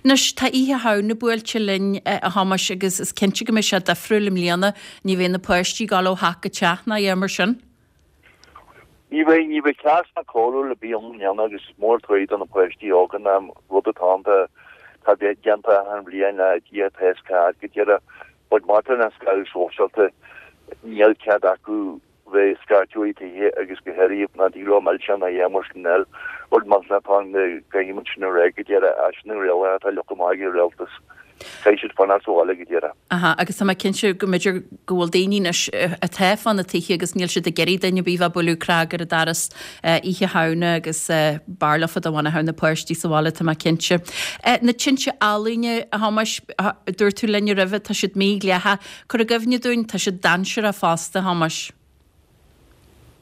Anois, tá Oíche Shamhna buailte linn, a Thomáis, agus is cinnte go mbeidh sé difriúil i mbliana. Ní bheidh na páistí ag dul ó theach go teach ná a dhath mar sin. Ní bheidh, ní bheidh cleas ná cóiriúil ar bith ann i mbliana agus is mór an trua do na páistí óga ná rud atá ann tá déanta achan bhliain le Dia tá is cead go díreach but maidir le scaradh sóisialta níl cead acu bheith scairteadh i dtithe agus go háirithe ná tig leo milseáin a dhéanamh mar sin eile rud millteanach atá ann go gcaithfidh muid sin a rá go díreach sin na rialacha atá leagtha amach ag an rialtas. Caithfidh siad fanacht sa bhaile go díreach. Aha, agus tá mé cinnte go mb'fhéidir go bhfuil daoine anois atá fá na tithe agus níl siad ag iarraidh duine ar bith bheith ag bualadh cnag ar an doras Oíche Shamhna agus b'fhearr leofa dá bhfanfadh na páistí sa bhaile, tá mé cinnte. Na tinte ealaíne, a Thomáis, dúirt tú linne roimhe, tá siad mídhleathach. Cuir i gcuimhne dúinn, tá siad dainséarach fosta, a Thomáis.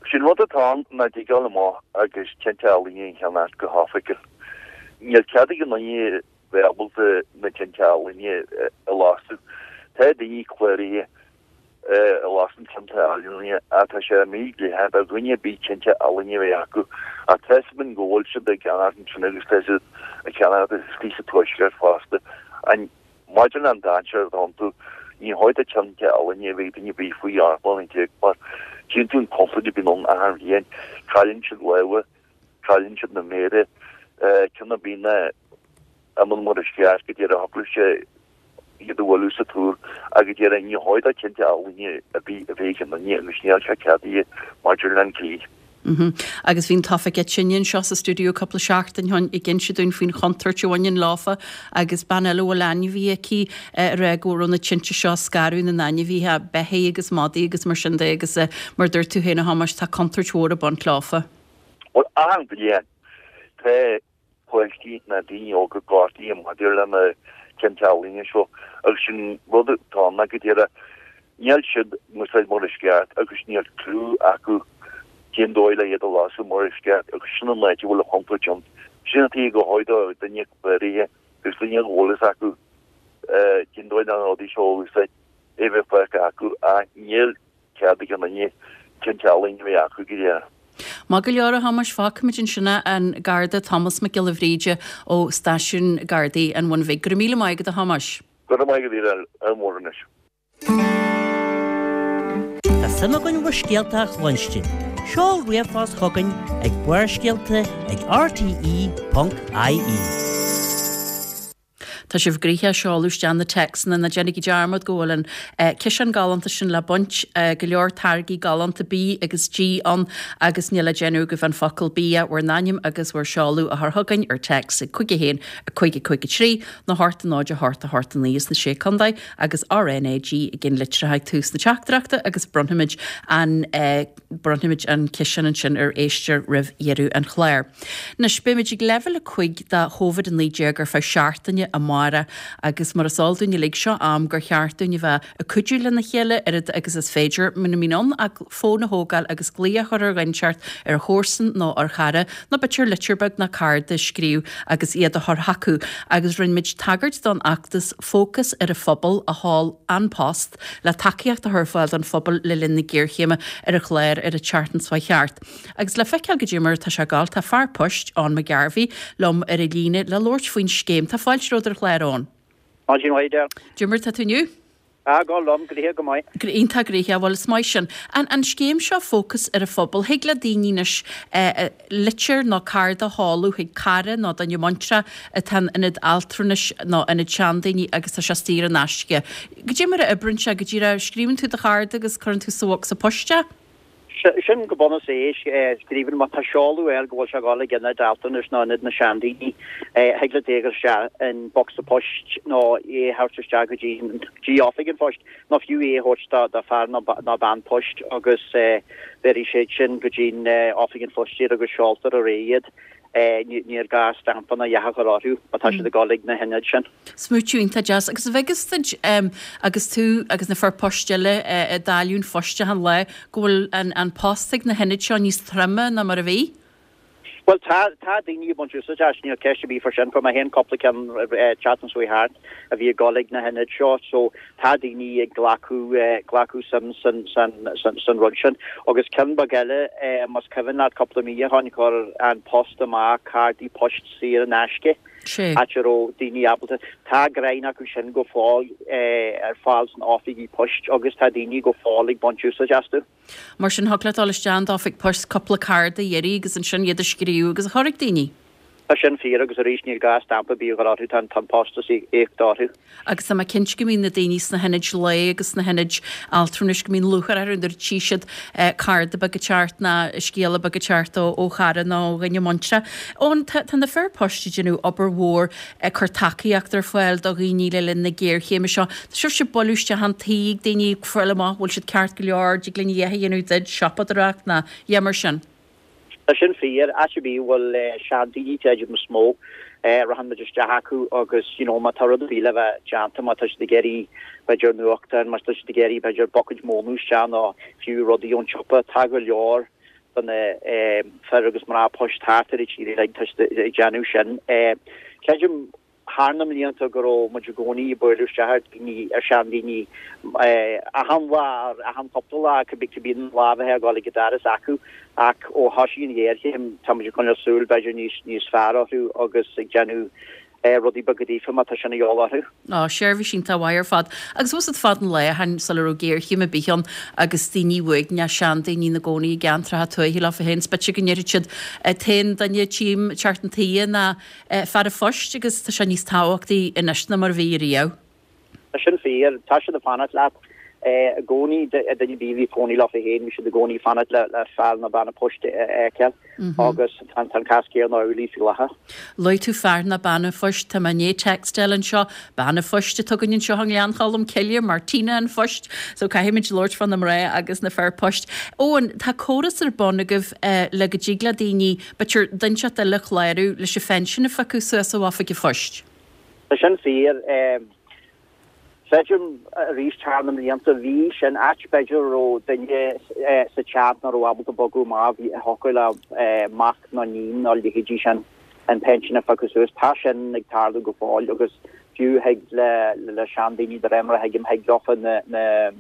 Sé'n rud atá ann ná dtig dul amach agus tinte ealaíne a cheannacht go hoifigiúil. Níl cead ag aon duine bheith ábalta na tinte ealaíne a lasadh. Tá daoine cláraithe a lasann tinte ealaíne ach tá sé mídhleathach do dhuine ar bith tinte ealaíne a bheith acu. Ach tá 'fhios againn go bhfuil siad ag ceannacht ansin agus tá siad ag ceannacht istigh sa tuaisceart fosta. An maidir leis an dainséar atá iontu, ní chóir do tinte ealaíne a bheith ag duine ar bith faoi 18 mbliana mar tchíonn tú an chontúirt a bhíonn ann achan bhliain. Cailleann siad lámha. Cailleann siad na méara, ceann ar bith ná imíonn mar is ceart go díreach thiocfadh sé iad a bhualadh sa túr ach go díreach ní chóir do tinte ealaíne ar bith a bheith ag aon duine agus níl sé ceadaithe maidir le an dlí. Agus bhí an tOifigeach Tine anseo sa stiúideo cúpla seachtain ó shin ag inse dúinn faoin chontúirt a bhaineann leofa agus bean eile a bhfuil ainmhithe aici ag rá go raibh na tinte seo ag scaradh na n-ainmhithe, beithígh agus madaí agus mar sin de agus mar a dúirt tú féin a Thomáis tá contúirt mhór ag baint leofa. Bhuel, achan bhliain, tá páistí ná daoine óga gortaithe maidir le na tinte ealaíne seo agus sin rud atá ann ná go díreach níl siad á n-úsáid mar is ceart agus níl cliú acu cén dóigh le iad a lasadh mar is ceart agus sin an áit a bhfuil an chontúirt ann. Sin an tuige gur chóir do duine cláraithe agus duine go bhfuil fhios acu cén dóigh le na rudaí seo a úsáid é bheith fágtha acu ach níl cead ag aon duine tinte ealaíne a bheith acu go díreach. Maith go leor, a Thomáis, fágfaimid ansin é, an Garda Tomás Mac Giolla Bhríde ó Stáisiún Gardaí an Bhuna Bhig. Go raibh míle maith agat, a Thomáis. Go raibh maith agat, a Mháire anois. Tá suim againn bhur scéalta a chluinstin. Seol ríomhphost chugainn ag barrscéalta ag rte.ie. Tá sibh gnoitheach ag seoladh isteach na téacsanna, ná déanaigí dearmad go bhfuil an ciseán galánta sin le baint, go leor táirgí galánta bídh agus dí ann agus níl le déanamh agaibh an focal 'bia', bhur n-ainm agus bhur seoladh a chur chugainn ar téacs ag 5 1 5 5 3 nó 8 0 8 8 9 sna Sé Contae agus RNAG i gceannlitreacha ag tús na teachtaireachta agus bronnfaimid an Bronnfaimid an ciseán ansin ar éisteoir roimh dheireadh an chláir. Anois, beimid ag leibhéal 5 de Chovid-19 ar feadh seachtaine amárach agus mar is eol dúinn uilig, seo am gur cheart dúinn a bheith ag cuidiú lena chéile oiread agus is féidir, muna mbíonn ann ach fón a thógáil agus glaoch a chur ar dhuine inteacht, ar chomharsan nó ar chara, nó b'fhéidir litir beag nó cárta a scríobh agus iad a chur chucu. Agus rinne muid tagairt don fheachtas Fócas ar an Phobal a sheol An Post, le tacaíocht a chur ar fáil don phobal le linn na géarchéime ar an chlár ar an tseachtain seo thart. Agus le feiceáil goidé mar atá sé ag gabháil, tá fear poist, Eoin McGarvey, liom ar an líne le labhairt faoin scéim. Tá fáilte romhat ar an chlár, Eoin. Maidin mhaith, Edel. Goidé mar atá tú inniu? Ah, go liom, gnoitheach go maith. Iontach gnoitheach, bhuel is maith sin. An an scéim seo Fócas ar an Phobal, thig le daoine anois litir nó cárta a sheoladh chuig cara nó duine muinteartha atá in ionad altranais nó ionad seandaoine agus tá sé saor in aisce. Goidé mar a oibríonn sé, go díreach scríobhann tú do chárta agus cuireann tú sa bhocsa poist é? Sin go bunúsach é. Scríobhann, má tá seoladh air go bhfuil sé ag dul ag ionad altranais nó ionad na seandaoine, thig leat é a chur isteach in bocsa poist nó é a thabhairt isteach go dtí dtí oifig an phoist nó fiú é a thabhairt do fear nó bean poist agus béarfaidh siad sin go dtí oifig an phoist iad agus seoltar ar aghaidh iad. Níor gá stampa ná a dhath a chur orthu má tá siad ag dul ag na hionaid sin. Smaoitiú iontach deas. Agus an bhfeiceas duit, agus tú agus na fir poist eile ag dáileadh an phoist achan lá, go bhfuil an post ag na hionaid seo níos troime ná mar a bhí? Bhuel, tá, tá daoine ag baint úsáid as, níl ceist ar bith fá sin. Fuair mé féin cúpla ceann an tseachtain seo thart a bhí ag dul ag na hionaid seo, so tá daoine ag glacadh, glacadh suim san, san, san, san rud sin. Agus ceann beag eile, más cuimhin leat cúpla mí ó shoin, chuir An Post amach cártaí poist saor in aisce. Sea. áit a raibh daoine ábalta. Tá greim acu sin go fóill ar fáil san oifigí poist agus tá daoine go fóill ag baint úsáid astu. Mar sin, thig leat dul isteach in d'oifig poist cúpla cárta a iarraidh agus ansin iad a scríobh agus a chur ag daoine. Tá sin fíor agus arís níl gá stampa ar bith a chur orthu, tá an postas íoctha orthu. Agus tá mé cinnte go mbíonn na daoine sna hionaid lae agus sna hionaid altranais, go mbíonn lúcháir orthu nuair a tchí siad cárta beag ag teacht ná scéala beag ag teacht ó chara nó ó dhuine muinteartha. Eoin, tá tá na fir poist ag déanamh obair mhór ag cur tacaíocht ar fáil do dhaoine le linn na géarchéime seo. Tá sibhse ag bualadh isteach an tí ag daoine ag fáil amach bhfuil siad ceart go leor, dtig linn a dhath a dhéanamh duit, siopadóireacht ná a dhath mar sin. Tá sin fíor. Áit ar bith a bhfuil seandaoine, creidim, is mó, rachann muid isteach acu agus, you know, má tá rud ar bith le bheith déanta, má tá siad ag iarraidh, b'fhéidir, nuachtán, má tá siad ag iarraidh, b'fhéidir, buicéid móna isteach nó fiú rudaí ón tsiopa, tá go leor de na fir agus mná poist thart ar an tír uilig, tá siad ag déanamh sin. Creidim, thar na mblianta go raibh muid i gcónaí ag bualadh isteach ar dhaoine, ar seandaoine, achan lá, achan chúpla lá, cibé cibé an lá a bheifeá ag dul ag an doras acu ach ó thosaigh an ghéarchéim tá muid ag coinneáil súil b'fhéidir níos níos fearr orthu agus ag déanamh rudaí beaga daofa má tá sin a dhíobháil orthu. Á, seirbhís iontach mhaith ar fad. Agus bhfuil a fhios agat fad an lae ó shin sula raibh géarchéim ar bith ann agus daoine uaigneach, seandaoine ina gcónaí i gceantracha tuaithe leofa féin, is b'fhéidir go ndéarfadh siad, an t-aon duine a tchím ag teacht chun toighe ná fear an phoist agus tá sé níos tábhachtaí anois ná mar a bhí riamh. Tá sin fíor. Tá siad ag fanacht leat i gcónaí. Duine ar bith a bhí ag cónaí leofa féin, bhí siad i gcónaí ag fanacht le fear nó bean an phoist a fheiceáil agus tá an cás céanna amhlaidh faoi láthair. Luaigh tú fear nó bean an phoist, tá mé i ndiaidh text a fháil anseo, bean an phoist atá againn anseo i nGleann Cholm Cille, Martina an phoist, so caithfimid labhairt fá na mná agus na fir poist. Eoin, tá córas ar bun agaibh le go dtig le daoine B'fhéidir duine inteacht eile a chlárú leis an phension a phiocadh suas ó oifig an phoist. Tá sin fíor. Creidim arís thar na mblianta bhí sin áit b'fhéidir a raibh duine sa teach nach raibh ábalta bogadh amach, bhí thiocfadh le mac nó níon nó leithéidí sin an pension a phiocadh suas. Tá sin ag tarlú go fóill agus fiú thig le le seandaoine de réir mar a thuigim thig leofa na na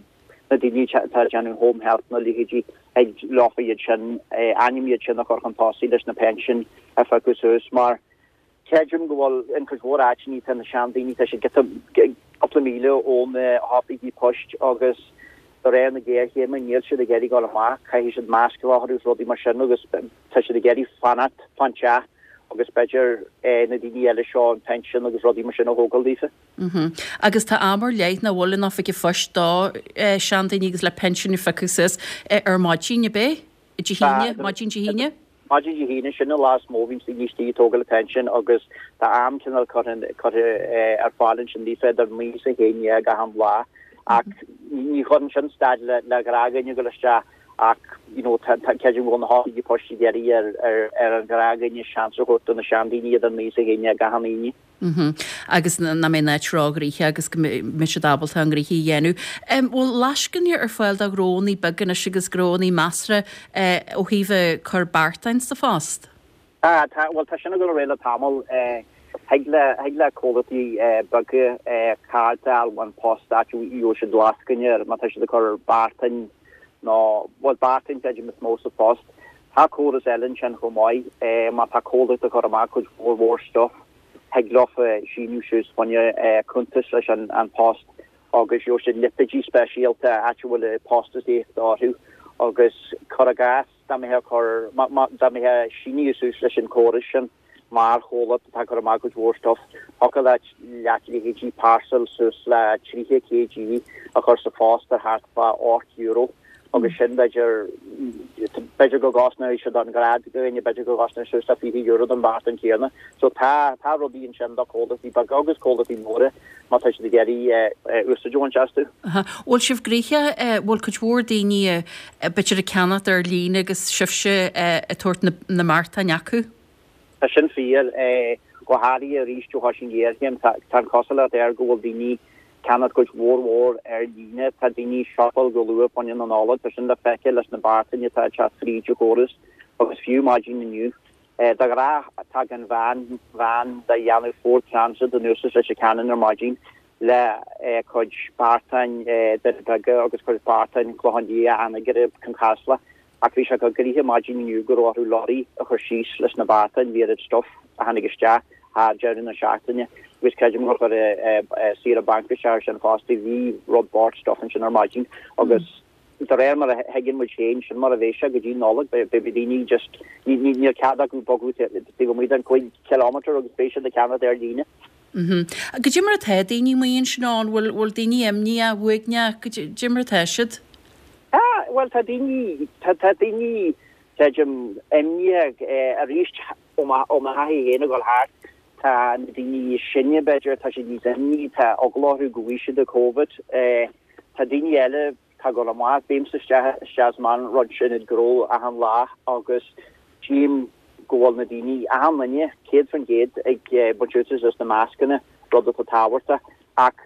na daoine atá ag déanamh home health nó leithéidí, thig leofa iad sin, ainm iad sin a chur chun tosaigh leis na pension a phiocadh suas mar creidim go bhfuil in cuid mhór áiteanna tá na seandaoine, tá siad giota, cúpla míle ó na hoifigí poist agus de réir na géarchéime níl siad ag iarraidh dul amach, caithfidh siad masc a bheith orthu is rudaí mar sin agus tá siad ag iarraidh fanacht fán teach agus b'fhéidir na daoine eile seo an pension agus rudaí mar sin a thógáil daofa. Agus tá am ar leith nach bhfuil in oifig an phoist do seandaoine agus le pinsin a phiocadh suas ar maidin, ab é? Dé hAoine? Maidin Dé hAoine? Maidin Dé hAoine, sin an lá is mó a bhíonns daoine istigh ag tógáil an phension agus tá am cineál curtha curtha ar fáil ansin daofa idir 9 is 11 achan lá ach ní chuireann sin stad le le gnáthdhuine ag dul isteach ach you know tá tá creidim go bhfuil na hoifigí poist ag iarraidh ar ar an ghnáthdhuine seans a thabhairt do na seandaoine idir 9 is 11 achan Aoine. Agus nach mbeidh an áit róghnoitheach agus go mbeidh siad ábalta a ngnoithí a dhéanamh. Bhfuil lascainí ar fáil do ghnóannaí beaga anois agus gnóannaí measartha ó thaobh cur beartáin sa phost? Tá, tá, bhuel tá sin ag dul ar aghaidh le tamall. Thig le, thig le comhlachtaí beaga cárta a fháil ón Post áit a gheobhaidh siad lascaine ar má tá siad ag cur beartáin nó, bhuel beartáin creidim is mó sa phost. Tá córas eile ansin chomh maith, má tá comhlacht ag cur amach cuid mhór mhór stuif, thig leofa síniú suas fá choinne cuntas leis an Post. agus gheobhaidh siad lipéidí speisialta áit a bhfuil postasaíocht orthu agus cuir i gcás dá mbeifeá ag cur, dá mbeifeá ag síniú suas leis an córas sin mar chomhlacht atá ag cur amach cuid mhór stuff, thiocfadh leat leat leithéidí parcel suas le 30 kg a chur sa phost ar thart fá €8 agus sin b'fhéidir, b'fhéidir go gcosnóidh sé don ghnáthdhuine, b'fhéidir go gcosnóidh suas le €20 don bheartán céanna. So tá, tá rudaí ansin do chomhlachtaí beaga agus comhlachtaí móra má tá siad ag iarraidh úsáid a bhaint astu. Aha. Bhfuil sibh gnoitheach, bhfuil cuid mhór daoine b'fhéidir ag ceannacht ar líne agus sibhse ag tabhairt na, na mbeartáin acu? Tá sin fíor, go háirithe arís ó thoisigh an ghéarchéim. Tá an chosúlacht air go bhfuil daoine ag ceannacht cuid mhór mhór ar líne. Tá daoine ag siopáil go luath fá choinne na Nollag. Tá sin le feiceáil leis na beartáin atá ag teacht fríd an chóras agus fiú maidin inniu. De ghnáth tagann veain, veain de dhéanamh Ford Transit anuas as Leitir Ceanainn ar maidin le cuid beartáin Doirí Beaga agus cuid beartáin Clochán Liath, Anagaire, Con Chasla. Ach bhí sé chomh gnoitheach maidin inniu go raibh orthu lorry a chur síos leis na beartáin, bhí oiread stuff a tháinig isteach thar deireadh na seachtaine agus creidim gur chuir saoire banc isteach ar sin fosta, bhí rud bocht stuff ansin ar maidin agus de réir mar a thuigeann muid féin, sin mar a bheidh sé go dtí Nollaig, beidh daoine just, níl cead acu bogadh taobh amuigh den 5 kilometre agus beidh siad ag ceannacht ar líne. Goidé mar atá daoine amuigh ansin ann, bhfuil, bhfuil daoine imníoch, uaigneach, goidé mar atá siad? Tá, bhuel tá daoine, tá, tá daoine, creidim, imníoch arís ó mo, ó mo thaithí féin ag dul thart, tá na daoine is sine b'fhéidir, tá siad níos imní, tá eagla orthu go bhfaighidh siad an Covid. Tá daoine eile, tá ag dul amach, bímse isteach, isteach is amach in roinnt ionad gnó achan lá agus tchím go bhfuil na daoine, achan duine, 100% ag baint úsáid as na mascanna, rud atá tábhachtach. Ach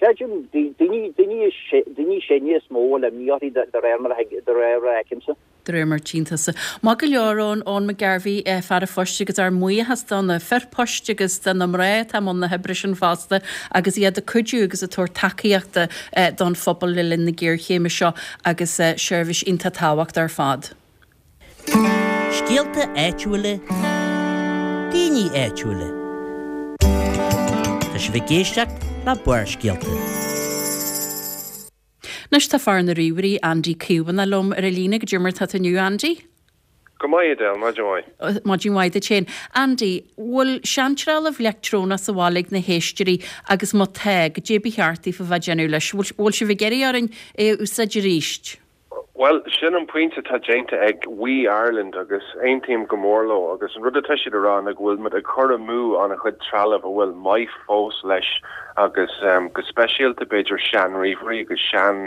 creidim, daoine, daoine, daoine sine is mó a bhfuil imní orthu de réir mar a, de réir mar a fheicimse. De réir mar a tchíonn tusa. Maith go leor, Eoin, Eoin McGarvey, fear an phoist agus ár mbuíochas do na fir poist agus do na mná atá i mbun na hoibre sin fosta agus iad ag cuidiú agus ag tabhairt tacaíochta don phobal le linn na géarchéime seo agus seirbhís iontach tábhachtach ar fad. Scéalta áitiúla, daoine áitiúla. Tá sibh ag éisteacht le Barrscéalta. Anois tá fear na ríomhairí, Andy Caomhánach liom ar an líne. Goidé mar atá tú inniu, Andy? Go maith, Edel, maidin mhaith. Maidin mhaith duit féin. Andy, bhfuil seantrealamh leictreonach sa bhaile ag na héisteoirí agus má tá, goidé ba cheart daofa bheith ag déanamh leis? Bhfuil sibh ag iarraidh orainn é a úsáid arís? Bhuel, sin an pointe atá déanta ag WE Ireland agus aontaím go mór leo agus an rud atá siad a rá ná go bhfuil muid ag cur amú an-chuid trealamh a bhfuil maith fós leis agus go speisialta b'fhéidir sean-ríomhairí agus sean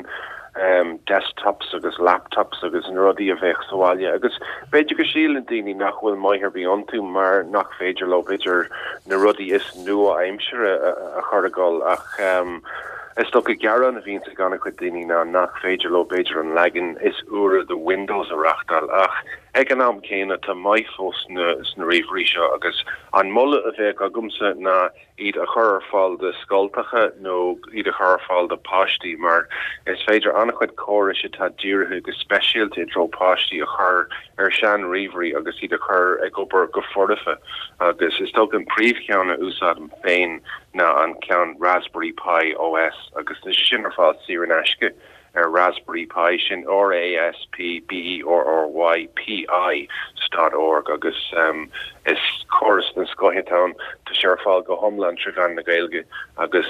desktops agus laptops agus na rudaí a bheadh sa bhaile agus b'fhéidir go síleann daoine nach bhfuil maith ar bith iontu mar nach féidir leo b'fhéidir na rudaí is nua-aimsire a chur ag dul ach Is dócha gearán a bhíonns ag an-chuid daoine ná nach féidir leo b'fhéidir an leagan is úire de Windows a reachtáil ach ag an am céanna tá maith fós sna ríomhairí seo agus an moladh a bheadh agamsa ná iad a chur ar fáil do scoltacha nó iad a chur ar fáil do páistí mar is féidir an-chuid córais atá dírithe go speisialta i dtreo páistí a chur ar sean ríomhairí agus iad a chur ag obair go foirfe agus is dócha an príomhcheann a úsáidim féin ná an ceann Raspberry Pi OS agus tá sé sin ar fáil saor in aisce ar Raspberry Pi, sin R-A-S-P-B-E-R-R-Y P-I dot org agus is córas den scoth atá ann. Tá sé ar fáil go hiomlán trí mheán na Gaeilge agus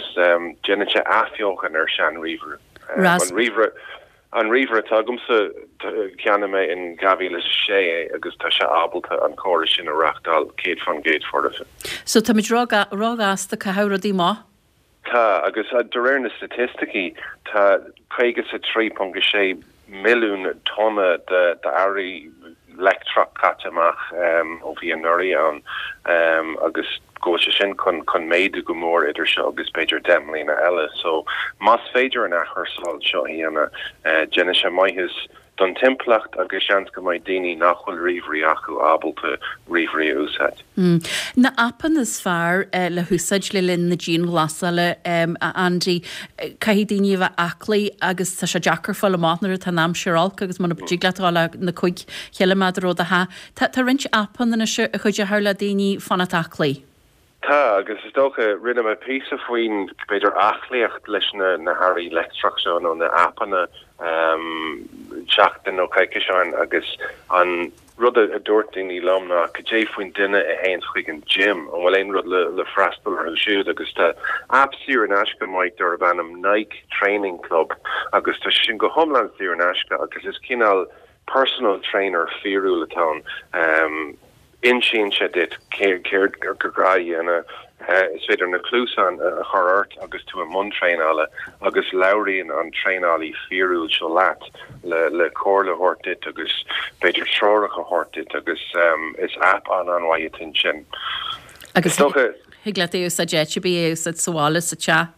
déanann sé athbheochan ar sean-ríomhaire. An ríomhaire. An ríomhaire atá agamsa, cheannaigh mé in 2006 é agus tá sé ábalta an córas sin a reachtáil 100% foirfe. So táimid ró-ghasta ag caitheamh rudaí amach? Tá, agus de réir na staitisticí tá 53.6 milliún tonna d'earraí leictreach caite amach ó bhí anuraidh ann agus go bhfuil sé sin chun chun méadú go mór idir seo agus b'fhéidir 10 mbliana eile. So más féidir an athchúrsáil seo a dhéanamh, déanann sé maitheas don timpeallacht agus seans go mbeidh daoine nach bhfuil ríomhairí acu ábalta ríomhairí a úsáid. Na aipeanna is fearr le húsáid le linn na dianghlasála, a Andy. Caithfidh daoine a bheith aclaí agus tá sé deacair fáil amach nuair atá an aimsir olc agus muna dtig leat a dhul na 5 chiliméadar ó do theach. Tá roinnt aipeanna anois a chuideochadh le daoine fanacht aclaí. Tá, agus is dócha, rinne mé píosa faoin, b'fhéidir, aclaíocht leis na na hearraí leictreach seo nó na aipeanna seachtain nó coicís ó shin agus an rud a dúirt daoine liom ná cad é faoin duine a théanns chuig an gym, an bhfuil aon rud le le freastal orthu siúd agus tá aip saor in aisce maith darb ainm Nike Training Club agus tá sé sin go hiomlán saor in aisce agus is cineál personal trainer fíorúil atá ann. Insíonn sé duit céard gur gá a dhéanamh. Is féidir na cluasáin a chur ort agus tú i mbun traenála agus labhraíonn an traenálaí fíorúil seo leat le comhairle a thabhairt duit agus b'fhéidir treoracha a thabhairt duit agus is aip an-an-mhaith atá ansin. Agus thig leat é a úsáid áit ar bith, é a úsáid sa bhaile, sa teach.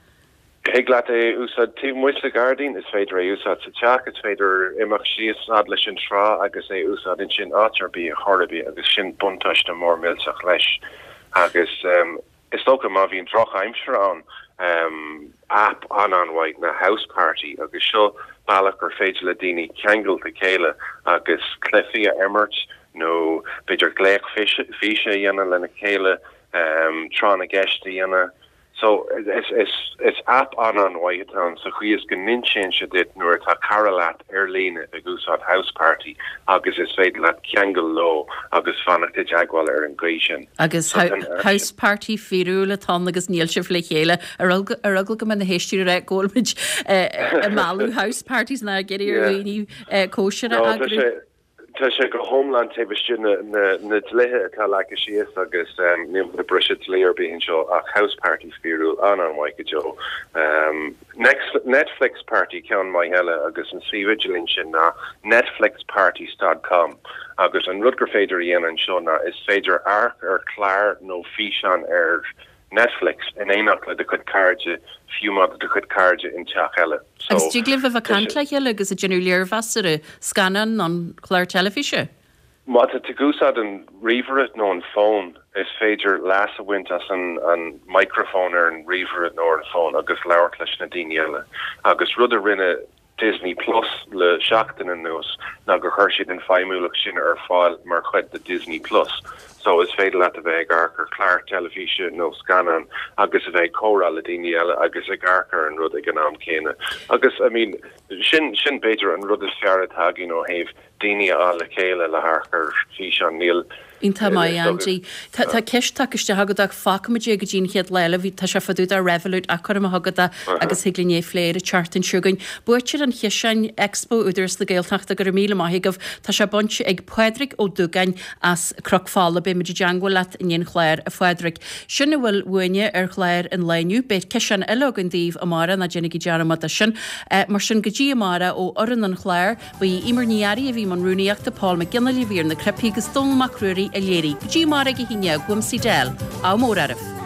Thig leat é a úsáid taobh amuigh sa ghairdín, is féidir é a úsáid sa teach, is féidir imeacht síos fhad leis an trá agus é a úsáid ansin áit ar bith, ar chor ar bith agus sin buntáiste mór millteach leis. Agus is dócha má bhíonn drochaimsir ann, aip an-an-mhaith ná Houseparty agus seo bealach gur féidir le daoine ceangal le chéile agus cluichí a imirt nó b'fhéidir glaoch físe a dhéanamh lena chéile, tráth na gceist a dhéanamh. So, is aip an-an-mhaith atá ann sa chaoi is go n-insíonn sé duit nuair atá cara leat ar líne ag úsáid Houseparty agus is féidir leat ceangal leo agus fanacht i dteagmháil ar an gcaoi sin. Agus house party fíorúil atá ann agus níl sibh le chéile. Ar eagla go mbeidh na héisteoirí ag rá go bhfuil muid ag mealladh house parties ná ag iarraidh ar dhaoine cóisir a eagrú. Tá sé go hiomlán taobh istigh na dlíthe atá leagtha síos agus níl muid ag briseadh dlí ar bith anseo ach house party fíorúil an-an-mhaith go deo. Netflix party ceann maith eile agus an suíomh idirlín sin ná netflixparties dot com agus an rud gur féidir a dhéanamh anseo ná is féidir amharc ar chlár nó físeán ar Netflix in éineacht le do chuid cairde, fiú má tá do chuid cairde in teach eile. So, Agus dtig libh a bheith ag caint le chéile agus ag déanamh léirmheas ar an scannán nó an clár teilifíse? Má tá tú ag úsáid an ríomhaire nó an fón, is féidir leas a bhaint as an an microphone ar an ríomhaire nó ar an fón agus labhairt leis na daoine eile. Agus rud a rinne Disney Plus le seachtain anuas ná gur chuir siad an feidhmiúlacht sin ar fáil mar chuid de Disney Plus. So is féidir leat a bheith ag amharc ar chlár teilifíse nó scannán agus a bheith ag comhrá le daoine eile agus ag amharc ar an rud ag an am céanna. Agus I mean sin sin b'fhéidir an rud is fearr atá againn ó thaobh daoine a fháil le chéile le hamharc ar físeán. Níl. Iontach maith, Andy. Tá ceist tagtha isteach agat ach fágfaimid é go dtí an chéad lá eile. Bhí, tá sé fá dtaobh de Revolut ach cuirfidh mé chugat é agus thig linn é a phlé ar an tseachtain seo chugainn. Buaiteoir an chiseáin, Expo Údarás na Gaeltachta, go raibh míle maith agaibh. Tá sé bainte ag Pádraig Ó Dúgáin as Cnoc Fola. Beidh muid i dteangmháil leat i ndiaidh an chláir, a Phádraig. Sin a bhfuil uainne ar chlár an lae inniu. Beidh ciseán eile againn daoibh amárach, ná déanaigí dearmad de sin. Mar sin, go dtí amárach ó fhoireann an chláir, Ba í Eimear Ní Fhearraigh a bhí i mbun rúnaíochta, Paul Mac Fhionnghaile a bhí ar na cnaipí agus Dónall Mac Ruairí a léirigh. Go dtí amárach ag a haon dhéag, uaimse Edel. Ádh mór oraibh.